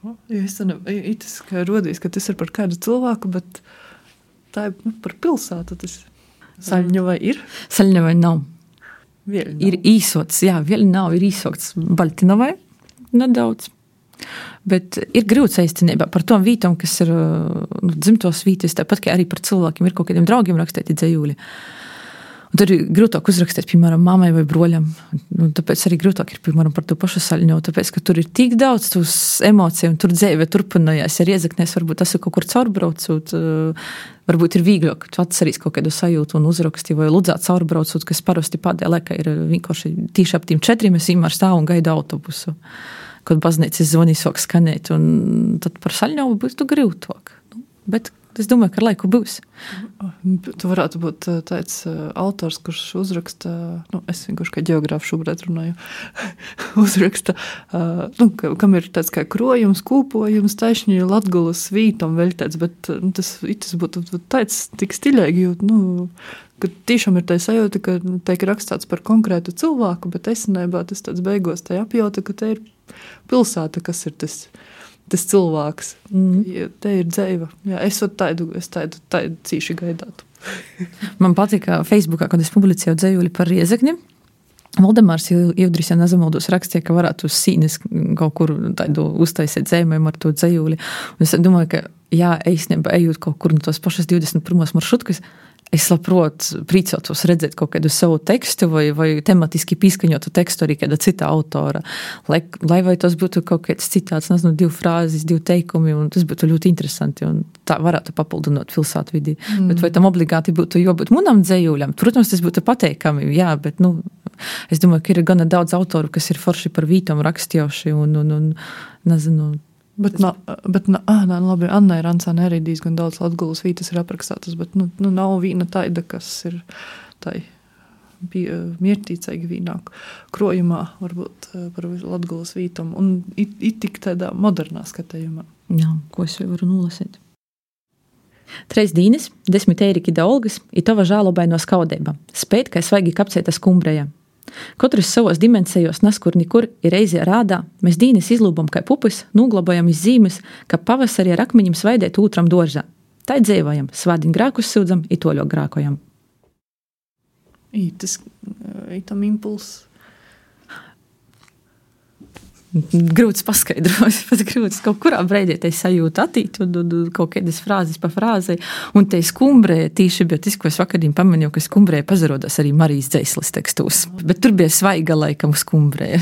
Ja, es ne, itis, ka rodīs, ka tas ir par kādu cilvēku, bet tā ir, nu, par pilsētu. Tas Saļņavai ir? Saļņavai nav. Vēl nav. Ir īsots, jā, vēl nav, ir īsots Baltinovai nedaudz. Bet ir grūts aizcinībā par tom vītom, kas ir, nu, dzimtos vītis, tāpat kā arī par cilvēkiem ir kaut kādiem draugiem rakstēti dzejūļi. Un tad ir grūtāk uzrakstīt, piemēram, mammai vai broļam. Un tāpēc arī grūtāk ir, piemēram, par to pašu Saļņovu, tāpēc, ka tur ir tik daudz tūs emociju, un tur dzēve turpinājās. Ja Riezeknēs varbūt tas ir kaut kur caurbraucot, varbūt ir vīgļāk, tu atcerīs kaut kādu sajūtu un uzraksti, vai Ludzā caurbraucot, kas parasti pādējā laikā ir vienkārši tīši ap tiem četriem, es vienmēr stāvu un gaidu autobusu, kad baznīcas zvanīs sāk skanēt, un tad par Saļņovu būs tu grūtāk. Nu, bet es domāju, ka ar laiku būs. Tu varētu būt tāds autors, kurš uzraksta, nu, es vienkārši kā ģeogrāfu šobrīd runāju, uzraksta, nu, kam ir tāds kā krojums, kūpojums, taisņi Latgulas vītam vēl tāds, bet nu, tas, tas būtu tāds tik stiļēgi, jo, nu, ka tiešām ir tā sajūta, ka tiek rakstāts par konkrētu cilvēku, bet esenībā tas tāds beigos tā apjauta, ka te ir pilsēta, kas ir tas, tas cilvēks. Mm. Ja, te ir dzeiva. Jā, es tādu, es tādu, tādu cīši gaidātu. Man patika Facebookā, kad es publicēju dzejuli par Riezekni. Valdemārs Ievdris, ja nezamaldos, rakstīja, ka varētu uz sīnes kaut kur tādu uztaisīt dzējumiem ar to dzejuli. Un es domāju, ka jā, eisnībā ejot kaut kur no tos pašas divdesmit pirmās maršrutkas, es labprot prīcotos redzēt kaut kādu savu tekstu vai, vai tematiski pīskaņotu tekstu arī kāda cita autora. Lai, lai vai tas būtu kaut kāds citāts, nezinu, divu frāzes, divu teikumi, un tas būtu ļoti interesanti, un tā varētu papildinot pilsētu vidi. Mm. Bet vai tam obligāti būtu jābūt munam dzejūļam? Protams, tas būtu pateikami, jā, bet, nu, es domāju, ka ir gana daudz autoru, kas ir forši par vītam rakstjoši, un, un, un nezinu, Bet, na, bet na, ah, nā, labi, Annai Rancāne arī diezgan daudz Latgulas vītas ir aprakstātas, bet nu, nu, nav vīna taida, kas ir tai miertīcīgi vīnāk krojumā, varbūt par Latgulas vītam, un it, it tik tādā modernā skatējumā. Jā, ko es varu nolasīt? Treis dīnis, desmit eiriki da olgas, i tova žālobaino skaudeiba, spēt, kai svaigi kapceita skumbreja. Katrs savos dimensijos naskur nikur ir reizē rādā, mēs dīnis izlūbam kai pupis, nūglabojam iz zīmes, ka pavasarī ar akmeņiem svaidēt ūtram doržā. Tai dzēvojam, svādiņ grākus sūdzam, i toļo grākojam. Ītas, ītam impuls. Grūts paskaidros, pats grūts kaut kurā breidē te sajūta attīt, un, un, un kaut kādas frāzes pa frāzei, un te skumbrē, tīši bija tas, ko es vakardien pamanīju, ka skumbrē pazarodās arī Marijas dzeisles tekstos, bet tur bija svaiga laikam skumbrē.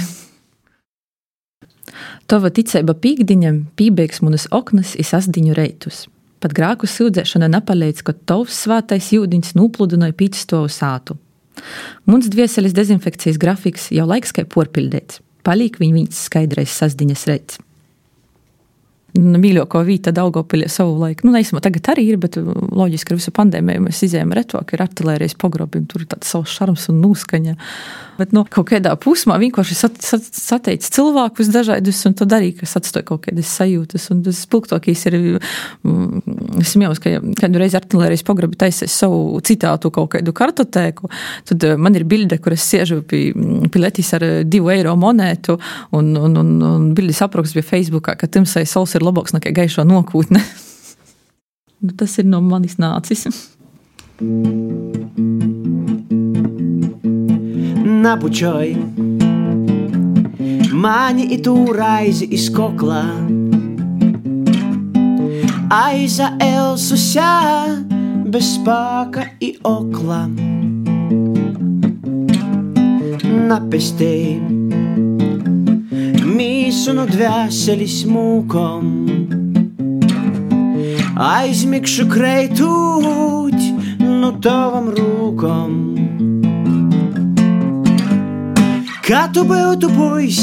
Tova ticeiba pīkdiņam pībeigs munas oknas i sasdiņu reitus. Pat grāku sūdzēšana napaleidz, ka tovs svātais jūdiņs nūpludinoja pīčstovu sātu. Muns dvieseles dezinfekcijas grafiks jau laiks kai porpildēts. Palīk viņ viņas skaidrais sasdiņas reids. Mīļāko vīta Daugavpilī savu laiku. Nu, neesmu, tagad arī ir, bet loģiski ar visu pandēmiju mēs izējām retvāk, ir artilērijas pogrobim, tur ir tāds savs šarms un nūskaņa. Bet, nu, kaut kādā pusmā vienkārši sat, sat, sateic cilvēkus dažādus, un to darīja, kas atstoja kaut kādas sajūtas. Un tas spilgtokīs ir, es smējos, ka kādu reizi artilērijas pogrobi taisēs savu citātu kaut kādu kartotēku, tad man ir bilde, kur es siežu pie, pie letis ar divu eiro monētu, un, un, un, un bildes apraksts bija Facebookā, ka timsai sauls ir labāks nekā gaišo nokūtne. Tas ir no manis nācis. Napučoj mani i tu raizi iz kokla, aiza elsuся bez spāka i okla. Napestej mīsu no dvēselis mūkom, aizmikšu kreitūt no tavam rūkom. Kā tu būtu puis,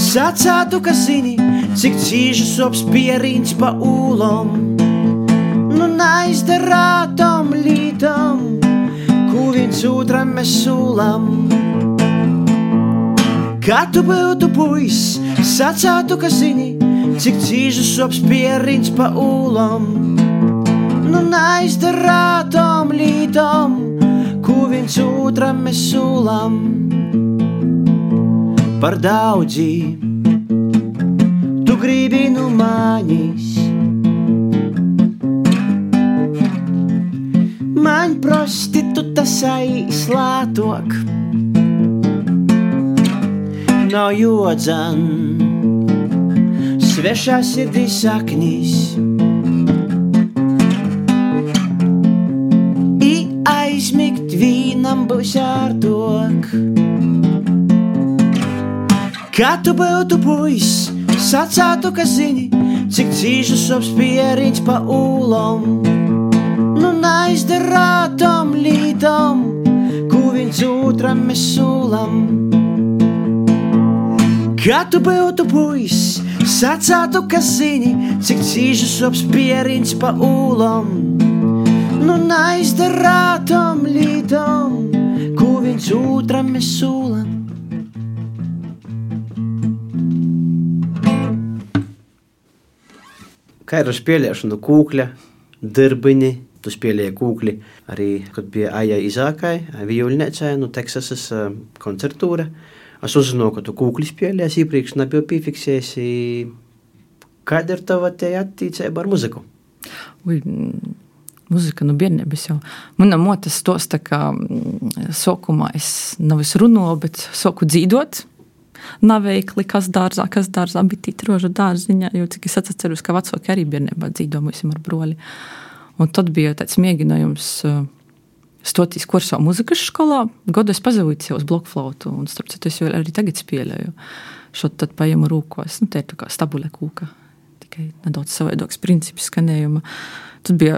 sacātu, ka zini, cik cīži sops pierīns pa ūlom, nu naizdarātam lītam, ko viens otram mēs sūlam. Kā tu būtu puis, sacātu, ka zini, cik cīži sops pierīns pa ūlom, nu naizdarātam lītam, ko viens otram mēs sūlam. Par daudzi tu gribi no manis, man prostituta saīslātok, nav jodzan svešā sirdī saknis, i aizmigt vīnam būs ārtok. Kā tu būtu puis, sacātu, ka zini, cik cīži sops pierīns pa ūlom, nu naizdarātam lītam, ko viens otram mēs sūlam. Kā tu būtu puis, sacātu, ka zini, cik cīži sops pierīns pa ūlom, nu naizdarātam lītam, ko viens otram mēs sūlam. Kā ir ar spēlēšanu kūkļa, dirbini, Tu spēlēji kūkli arī, kad bija Aija Izākai, vijuļniecei, no Teksasas koncertūra. Es uzzināju, ka tu kūkli spēlējies iepriekš, nebiju piefiksējies. Kāda ir tava te attīcība ar muziku? Ui, muzika no bērnības jau. Mana mote stosta, ka sokumā es nav es runāju, bet soku dzīdot. Naveikli, kas dārzā, kas dārzā, bet tīt rožu dārziņā, jo cik es atceros, ka vecāki arī bērnībā dzīdo mūsim ar broli. Un tad bija tāds mēģinājums stoties kursā muzikas skolā. Godu es pazavīju sev uz blokflautu, un starp citu es vēl arī tagad spēlēju. Šot tad paņemu rūkos, nu, te ir tā kā stabule kūka, tikai nedaudz savaidoks princips skanējuma. Tad bija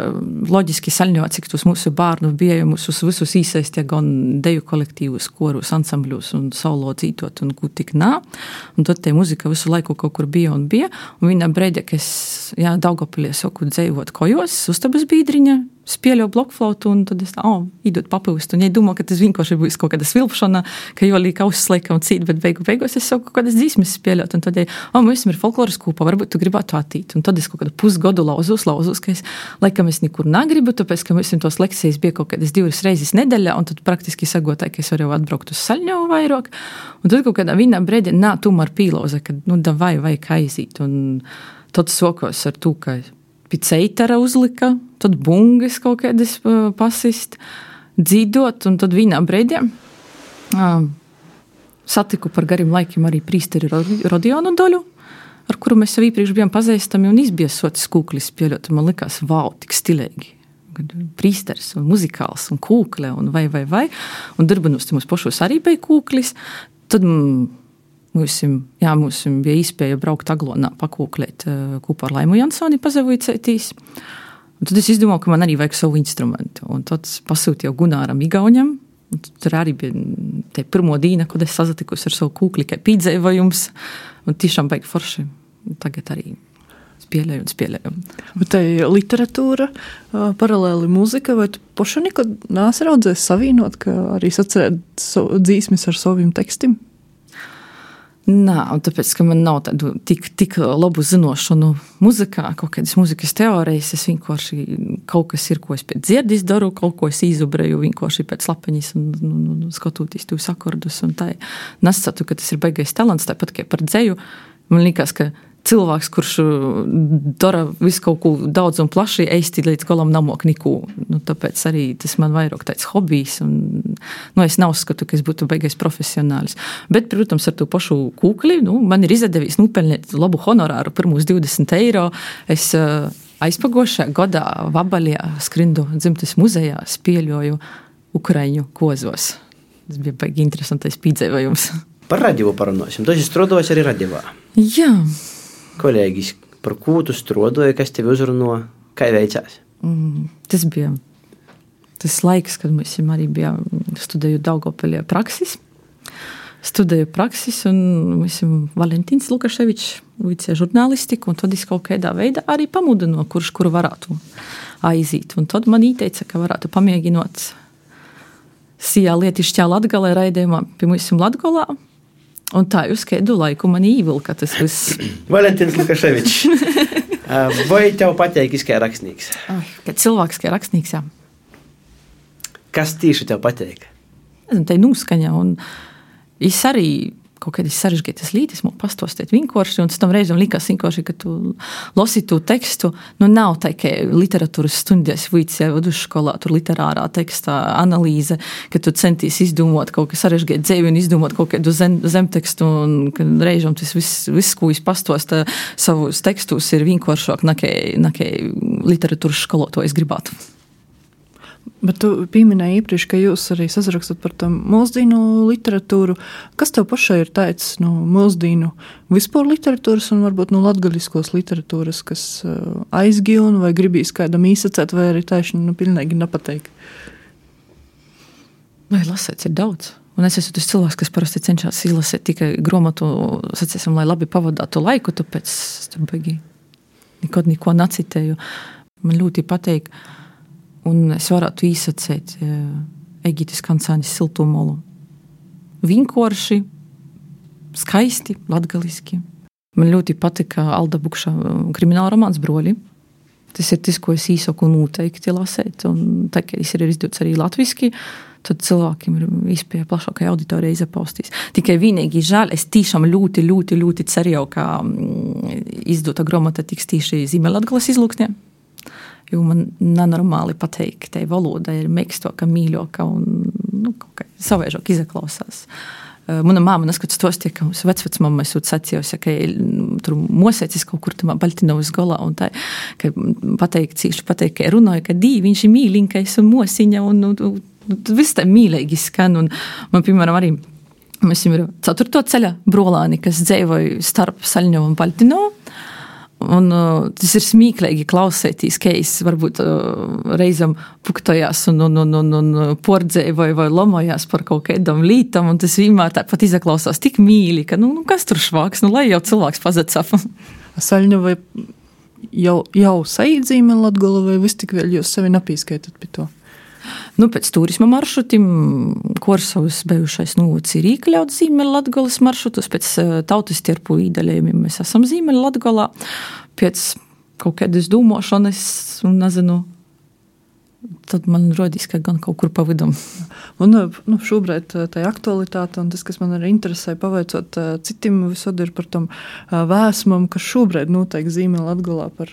loģiski saļņot, cik tos mūsu bārnu bija, mūsu visus īsaistie gan deju kolektīvus, korus, ansambļus un solo dzītot un ko tik nā. Un tad te muzika visu laiku kaut kur bija un bija. Un vienā breidē, ka es, jā, Daugavpilī soku dzējot kojos, uztabas bīdriņa, spēļo blokflautu, un tad es tā, o, īdot papūst. Un ja domā, ka tas vienkārši būs kaut kāda svilpšana, ka jo līk ausis laikam cīt, bet beigu beigos es soku kaut kādas dzīsmes spēļot. Un tad, ja, o, mēs ir folkloras kūpa, varbūt tu gribētu attīt. Un tad es kaut kādu pusgodu lauzus, lauzus, ka es, laikam es nekur negribu, tāpēc, ka mēs tos lekcijas bija kaut kādas divas reizes nedēļā, un tad praktiski sagotāju, ka es varu atbraukt uz Saļņovu vairāk. Un tad kaut kādā vienā brēdē, nā, tomēr pīlauza, ka, nu, da vai, vai kaizīt. Un tad sokos ar to, ka piceitara uzlika, tad bungas kaut kādas pasist, dzīdot, un tad vienā brēdē uh, satiku par gariem laikiem arī prīsteri Rodionu Doļu, ar kuru mēs jau iepriekš bijām pazīstami, un izbiesotis kūklis spēļot, un man likās, vau, tik stilīgi. Prīsteris un muzikāls un kūkle un vai, vai, vai. Un darbanos te mums pošos arī bija kūklis. Tad mūsim, jā, mūsim bija īspēja braukt Aglonā pakūklēt kopā ar Laimu Jansoni pazavīcētīs. Un tad es izdomāju, ka man arī vajag savu instrumentu. Un tad pasūtīju Gunāram Igauņam. Un tur arī bija te pirmo dīna, kad es sazatikus ar savu kūkli, kā pīdzējums. Un tiešām baigi forši. Tagad arī spēlēju un spēlēju. Bet tai literatūra, paralēli muzika, vai tu poša nekad nāsi raudzēs savīnot, ka arī sacerēt so, dzīsmis ar saviem tekstiem? Nā, un tāpēc, ka man nav tādu tik, tik labu zinošanu muzikā, kaut kādas muzikas teorijas, es vienkārši kaut kas ir, ko es pēc dzirdis daru, kaut ko es izubreju vienkārši pēc lapeņas un, un, un skatoties tos akordus un tā. Nesatu, ka tas ir baigais talants, tāpat kā par dzeju. Man liekas, ka cilvēks, kurš dara visu kaut ko daudz un plaši, eisti līdz galam namok nikū. Nu, tāpēc arī tas man vairāk tāds hobijs. Un, nu, es neuzskatu, ka es būtu baigais profesionālis. Bet, protams, ar to pašu kūkli, nu, man ir izdevies nupelnīt labu honorāru, pirmos divdesmit eiro. Es uh, aizpagošā gadā Vabaļā skrindu dzimtes muzejā spēļoju Ukraiņu kozos. Tas bija baigi interesantais pīdzējums. Par radio parunāsim. Tu esi strādājis arī radio. Jā. Kolēģis, par ko tu strādāji, kas tevi uzrunāja, kā veicās? Mm, tas bija tas laiks, kad mēs arī bijām studēju Daugavpilī praksis. Studēju praksis, un mēs Valentīns Lukaševičs vicēja žurnālistiku, un tad es kaut kādā veidā arī pamudinu, kurš kuru varētu aiziet. Un tad man ieteica, ka varētu pamēģinot sijā lietišķā Latgalē raidījumā pie mums Latgolā. Un tā uz kādu laiku man īvilka tas viss. Valentīns Lukaševičs. Vai tev pateik, kā rakstnieks? Kā cilvēks, kā rakstnieks, jā. Kas tieši tev pateik? Tā ir nūskaņa, un es arī kaut kādas sarežģītas lītis man pastostēt vienkārši, un tam reizam likās vienkārši, ka tu losi tu tekstu, nu nav tā, ka literatūras stundēs vīcē vidusskolā, tur literārā tekstā analīze, ka tu centīs izdomot kaut kā sarežģīt dzēvi un izdomot kaut kādu zem, zemtekstu, un ka reizam tas viss, viss, ko es pastosta savus tekstus, ir vienkāršāk, nekā, nekā literatūras skolotojs gribētu. Bet tu pieminēji iepriekš, ka jūs arī sazrakstat par tam mūsdīnu literatūru. Kas tev pašai ir teicis no mūsdīnu vispār literatūras un varbūt no latgaliskos literatūras, kas aizgīja vai gribīs kādam īsacēt, vai arī taiši nu, pilnīgi nepateik? Vai lasēts ir daudz. Un es esmu tas cilvēks, kas parasti cenšas izlasēt tikai gromatu, sacēsim, lai labi pavadātu laiku, tāpēc tur baigi nekad neko nacitēju. Man ļoti pateik, un es varētu īsacēt Egitis Kancānis Siltumolu. Vienkārši, skaisti, latgaliski. Man ļoti patika Alda Bukša krimināla romāns Broļi. Tas ir tas, ko es īsaku noteikti lasēt, un tā, ka es ir izdots arī latviski, tad cilvēkiem ir izpēja plašākai auditorijai izapaustīs. Tikai vienīgi žēl, es tiešām ļoti, ļoti, ļoti ceru, ka izdota gromata tiks tīši Ziemeļlatgales izlūksnē, jo man nenormāli pateik, tai valoda ir mekstoka, mīļoka un nu, kaut kā savaižok izaklausās. Mana māma neskats tos tie, ka mums vecvecmamma esot sacījusi, ka tur mosēcis kaut kur tamā Baltinovas golā un tā, ka pateik, cīši pateik, ka runāja, ka dī, viņš ir mīliņkais un mosiņa un, un, un viss tā mīlīgi skan un man, piemēram, arī mēs ir ceturto ceļa brolāni, kas dzēvoja starp Saļņovu un Baltinovu. Un uh, tas ir smīklīgi klausētīs, ka es varbūt uh, reizam puktojās un, un, un, un, un pordzēju vai, vai lomojās par kaut kādam lītam, un tas vienmēr tāpat izaklausās tik mīļi, ka, nu, nu kas tur švāks, nu, lai jau cilvēks pazacap. Saļņa vai jau, jau saīt Ziemeļlatgala vai vis tik vēl jūs sevi napīskaitat pie to? Nu, pēc turisma maršrutim Korsavas bijušais novods ir iekļauts Ziemeļlatgales maršrutus, pēc tautas tirpu īdaļējumiem mēs esam Ziemeļlatgalā, pēc kaut kādas dūmošanas, un nezinu, tad man rodīs, ka gan kaut kur pa vidum. Un nu, šobrīd tā aktualitāte un tas, kas man arī interesē, pavaicot citim visod ir par tom vēsmam, kas šobrīd notiek Ziemeļlatgalā par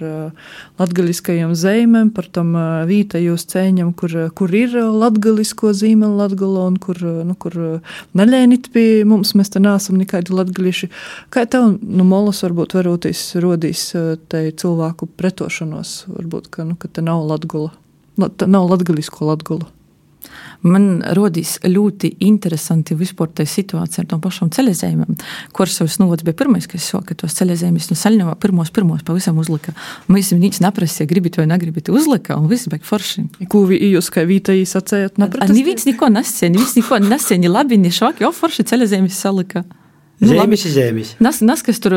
latgaliskajiem zeimēm, par tom vītajos ceņam, kur, kur ir latgalisko Ziemeļlatgala un kur, nu, kur neļēnit pie mums, mēs te nāsam nekādi latgališi. Kā tev, nu, molas varbūt varotīs rodīs te cilvēku pretošanos, varbūt, ka, nu, ka te nav Latgala, nav latgalisko Latgala? Man rodīs ļoti interesanti vispār tai situācija ar tom pašām ceļazējumiem. Korsavas novads bija pirmais, kas soka tos ceļazējumus no Saļņovā pirmos, pirmos pavisam uzlika. Mēs viņus neprasīja, gribit vai negribit uzlika, un viss beig forši. Ko jūs kā vītēji sacējat? Neviens niko nesēja, neviens niko nesēja, ni labi, ni švaki, jo forši ceļazējumus salika. Nu, zēmis ir zēmis. Nas, nas, kas tur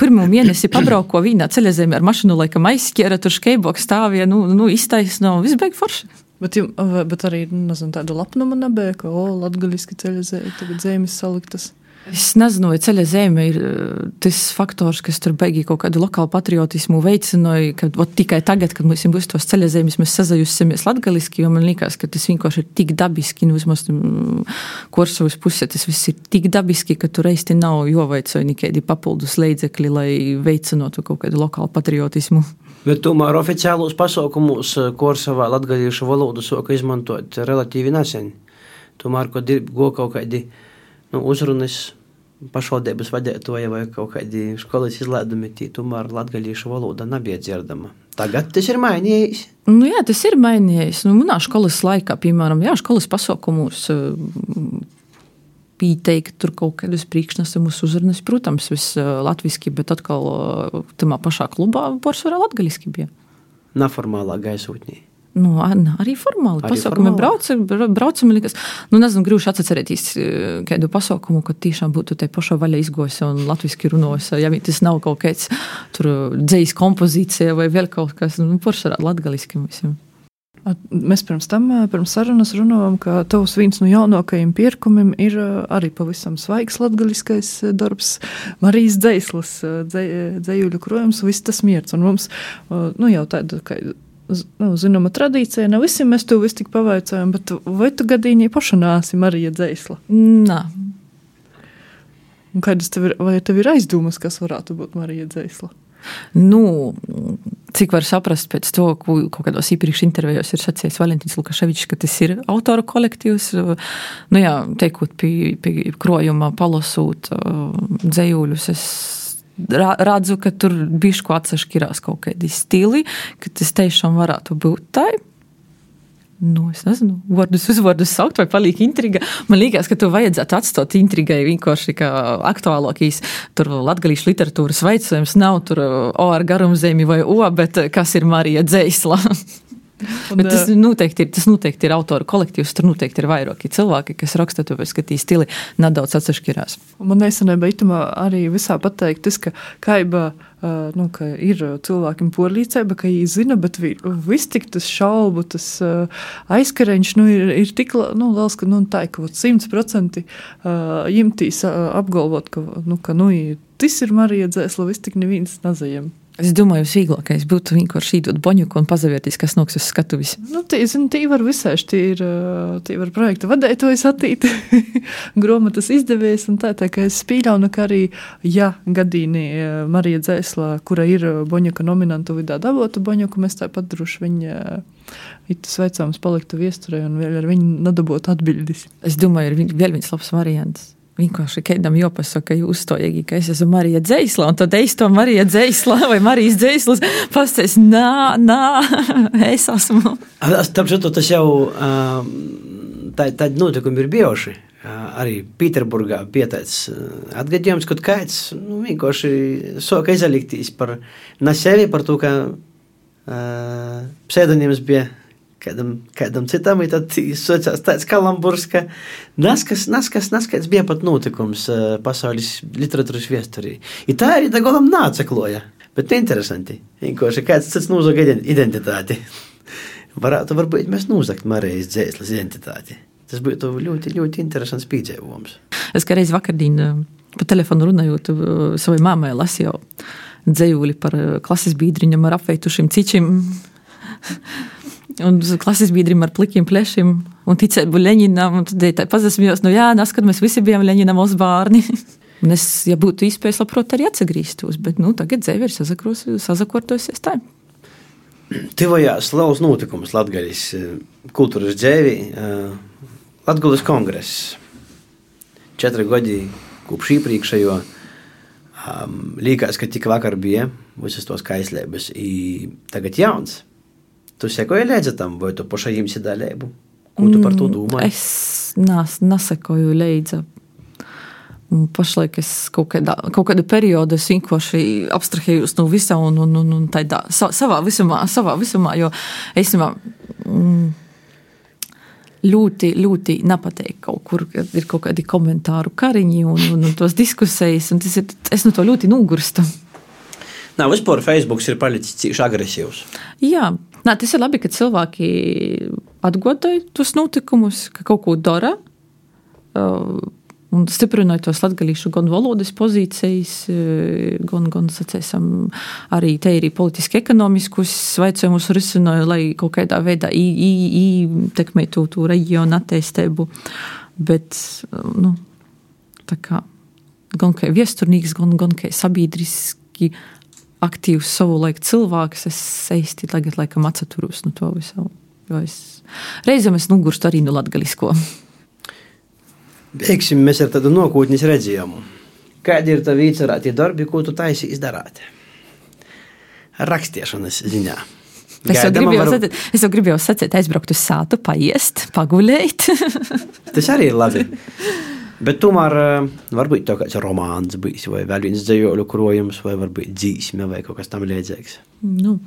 pirmo mēnesi pabrauko vīnā ceļazēmi ar mašinu, laikam aizskiera, tur škeiboks stāvīja, nu, nu iztaisno, viss beig forši. Bet, bet arī, nezinu, tādu lapnumu nebēja, ka, o, latgaliski ceļazēji, tagad zēmis saliktas. Es nezinu, vai ceļa zeme ir tas faktors, kas tur beigi kaut kādu lokālu patriotismu veicināja, ka ot, tikai tagad, kad mums būs tos ceļa zemes, mēs sazajusimies latgaliski, jo man liekas, ka tas vienkārši ir tik dabiski, nu vismaz Korsavas pusē, tas viss ir tik dabiski, ka tur reisti nav joveicoja nekādi papildus leidzekļi, lai veicinātu kaut kādu lokālu patriotismu. Bet tomēr oficiālos pasaukumus Korsavā latgaliešu valodu soka izmantot relatīvi nesen. Tomēr, kad ir go kaut kādi nu, uzrunas pašvaldības vadētoja vai kaut kādi skolas izlēdumi, tī tomēr latgaliešu valoda nebija dzirdama. Tagad tas ir mainījies. Nu jā, tas ir mainījies. Nu, manā skolas laikā, piemēram, jā, skolas pasaukumus teikt, tur kaut kādus priekšnesumus uzrunas, protams, viss latviski, bet atkal tamā pašā klubā pārsvarā latgaliski bija. Neformālā gaisotnī. Nu, arī formāli. Arī pasaukumi braucam, braucam, likas. Nu, nezinu, grūši atcerētīs kādu pasaukumu, kad tiešām būtu tai pašā vaļa izgojusi un latviski runājusi. Ja tas nav kaut kāds tur dzējas kompozīcija vai vēl kaut kas, nu, pārsvarā latgaliski visiem. Mēs pirms tam, pirms sarunas runājam, ka tavs viens no jaunākajiem pierkumiem ir arī pavisam svaigs latgaliskais darbs, Marijas Dzeislas, dzējuļu krojums, viss tas mierts. Un mums, nu, jau tāda, ka, nu, zinama tradīcija, ne visiem mēs to visu tik pavaicājam, bet vai tu gadīņi paša nāsi Marija Dzeisla? Nā. Un kādas tev ir, vai tev ir aizdomas, kas varētu būt Marija Dzeisla? Nu, cik var saprast pēc to, ko kaut kādos iepriekš intervējos ir sacījis Valentīns Lukaševičs, ka tas ir autoru kolektīvs. Nu jā, teikot pie, pie krojuma palasūt dzējuļus, es redzu, ka tur bišku atsaškirās kaut kādi stili, ka tas tiešām varētu būt tai. Nu, es nezinu, vārdus uzvārdus saukt vai paliek intriga. Man liekas, ka tu vajadzētu atstāt intrigai vienkārši kā aktuālākīs tur latgalīšu literatūras veicojums nav tur O ar garumzemi vai O, bet kas ir Marija Dzeisla. Bet tas noteikti ir, tas noteikti ir autoru kolektīvs, tur noteikti ir vairāki cilvēki, kas raksta, tāpēc, ka tī stili nedaudz atsašķirās. Man nesenībā itamā arī visā pateikt, tas, ka kaiba, nu, ka ir cilvēkiem porlīcēba, ka viņi zina, bet viss tik tas šaubu, tas aizkareņš, nu, ir, ir tik, nu, vēl, ka, nu, tā, ka simt procenti jimtīs apgalvot, ka, nu, ka, nu, tas ir Marija Dzeisla, viss tik neviens nezajam. Es domāju, vieglākais būtu vienkārši īdot boņuku un pazavērtīs, kas noks uz skatuvis. Nu, tī, zin, tī var visaiši, tī ir, tī var projekta vadētojas attīt, gromatas izdevējs, un tā, tā, ka es spīļaunu, ka arī, ja gadīni Marija Dzēsla, kura ir boņuka nominantu vidā davotu boņuku, mēs tāpat droši viņa itas veicāms paliktu viesturē un vēl ar viņu nadabotu atbildis. Es domāju, ir vēl viens labs variants. Vienkārši kādam jāpasaka, jūs to iegī, ka es esmu Marija Dzēsla, un tad es to Marija Dzēsla vai Marijas Dzēslas pasties, nā, nā, es esmu. Tāpēc tas jau tādi notikumi ir bijuši. Arī Pīterburgā pieteic atgadījums, kad kāds nu, vienkārši soka izaliktīs par na sevi, par to, ka uh, pseidonīms bija kādam, kādam citam, un tad sociās tāds kalamburs, ka naskas, naskas, naskas bija pat notikums uh, pasaules literatūras viesturī. I tā arī da golam nācekloja, bet interesanti. Vienkārši kāds cits nūzaga identitāti. Varētu varbūt mēs nūzakt Marijas Dzēslas identitāti. Tas būtu ļoti, ļoti interesants piedzīvojums. Es kā reiz vakardien pa telefonu runājot savai māmai lasīju dzējūli par klases biedriņam ar apveitušiem cičim un klases biedrim ar plikiem plešim un ticēbu Leņinam. Un tad tā pazasmījos, nu jā, nas, kad mēs visi bijām Leņinam uz bārni. Un es, ja būtu īspējas, labprot arī atsagrīstos, bet nu, tagad dzēvi ir sazakortosies tā. Tivojās liels notikums Latgaļas kultūras dzēvi, Latgulas kongress. Četri gadi kopš iepriekšējo um, līkās, ka tik vakar bija visas tos kaislēbas. I tagad jauns. Tu sekoji līdzi tam, vai tu paša jimsi dalību? Ko tu par to domāji? Es nas, nesekoju līdzi. Pašlaik es kaut, kādā, kaut kādu periodu es vienkārši abstrahējos no visā un, un, un, un tādā savā visumā, savā visumā, jo es mm, ļoti, ļoti nepateik kaut kur, kad ir kaut kādi komentāru kariņi un, un, un tos diskusijas, un tas ir, es no to ļoti nogurstu. Nā, vispār Facebooks ir palicis cīši agresīvs. Jā, nā, tas ir labi, ka cilvēki atgodoja tos notikumus, ka kaut ko dara, uh, un stiprināja tos latgalīšu gan valodas pozīcijas, gan, gan sacēsim, arī te arī politiski ekonomiskus svaicojumus risināja, lai kaut kādā veidā ietekmētu to reģionu attīstību. Bet, nu, tā kā, gan kā viesturnīgs, gan, gan kā sabiedriski aktīvs savu laiku cilvēks, es eisti tagad laikam atsaturus no to visu. Jo es, reizēm es nogurstu arī no latgalisko. Beigsim mēs ar tādu nokūtnis redzījumu. Kādi ir tavi īcerātie darbi, ko tu taisi izdarāt? Rakstiešanas ziņā. Es jau gribēju var... sacīt, es jau gribēju sacīt, aizbraukt uz sātu, paiest, pagulēt. Tas arī ir labi. Bet tomēr varbūt tev kāds romāns bijis, vai vēl viens dzējoļu krojums, vai varbūt dzīsme, vai kaut kas tam līdzīgs. Nu...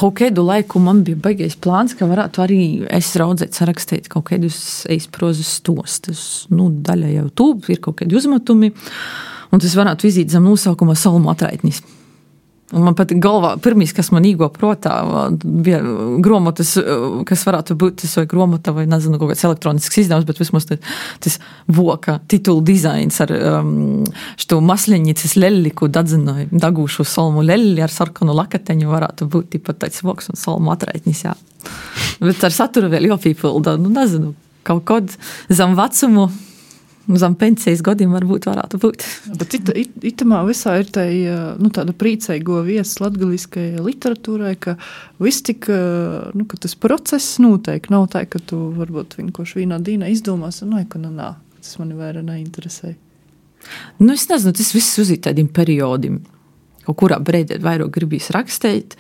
Kaut kādu laiku man bija baigais plāns, ka varētu arī es raudzēt sarakstīt kaut kādus eisprozas stostus. Nu, daļa jau tu, ir kaut kādi uzmetumi, un tas varētu vizīt zem nosaukuma Salmu atraitnis. Un man pat galvā, pirmīs, kas man īgo protā, bija gromotas, kas varētu būt tas vai gromota vai, nezinu, kaut kāds elektronisks izdevums, bet vismaz tas, tas voka titulu dizains ar um, što masleņicas lelli, ko dadzinoja dagūšu salmu lelli ar sarkanu lakateņu, varētu būt tipat tāds voks un salmu atraitnis, jā. Bet ar saturu vēl jopīpilda, nu, nezinu, kaut kod zem vecumu, zem pensijas godiem varbūt varētu būt. Bet it, it, itamā visā ir tai, nu, tāda prieceigo vietas latgaliskai literatūrai, ka viss tik, nu, ka tas process noteikti nav tā, ka tu varbūt vienkārši vienā dīnā izdomās, un, nu, ka nu, nā, tas mani vairāk neinteresē. Nu, es nezinu, tas viss uzīt tādiem periodiem. Kaut kurā breidē vairāk gribīs rakstīt,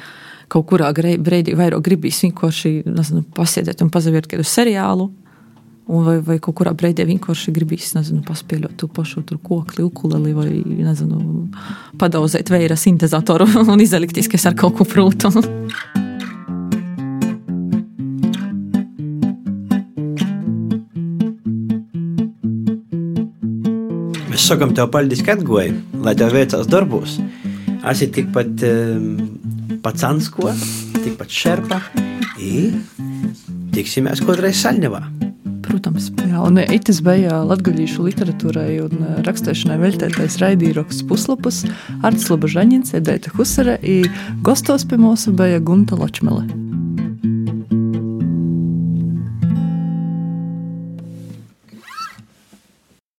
kaut kurā breidē vairāk gribīs vienkārši, nezinu, pasiedēt un pazavirt kādu seriālu. Vai, vai kaut kurā breidē vienkārši gribīs, nezinu, paspēļot tu pašu tur kokli, ukuleli vai, nezinu, padauzēt vēja sintezatoru un izaliktīs, kas ar kaut ko prūtu. Mēs sakam tev paldies, ka atgoji, lai tev veicās darbos. Esi tikpat um, pacansko, tikpat šerpa i tiksimies kodreiz Saļņevā. protams. Jā, un itis bija latgaļīšu literatūrai un rakstēšanai veļtētais raidīroks Puslapus, Arts Lobožaņins, Edeita Husare, i gostos pie mūsu bija Gunta Ločmele.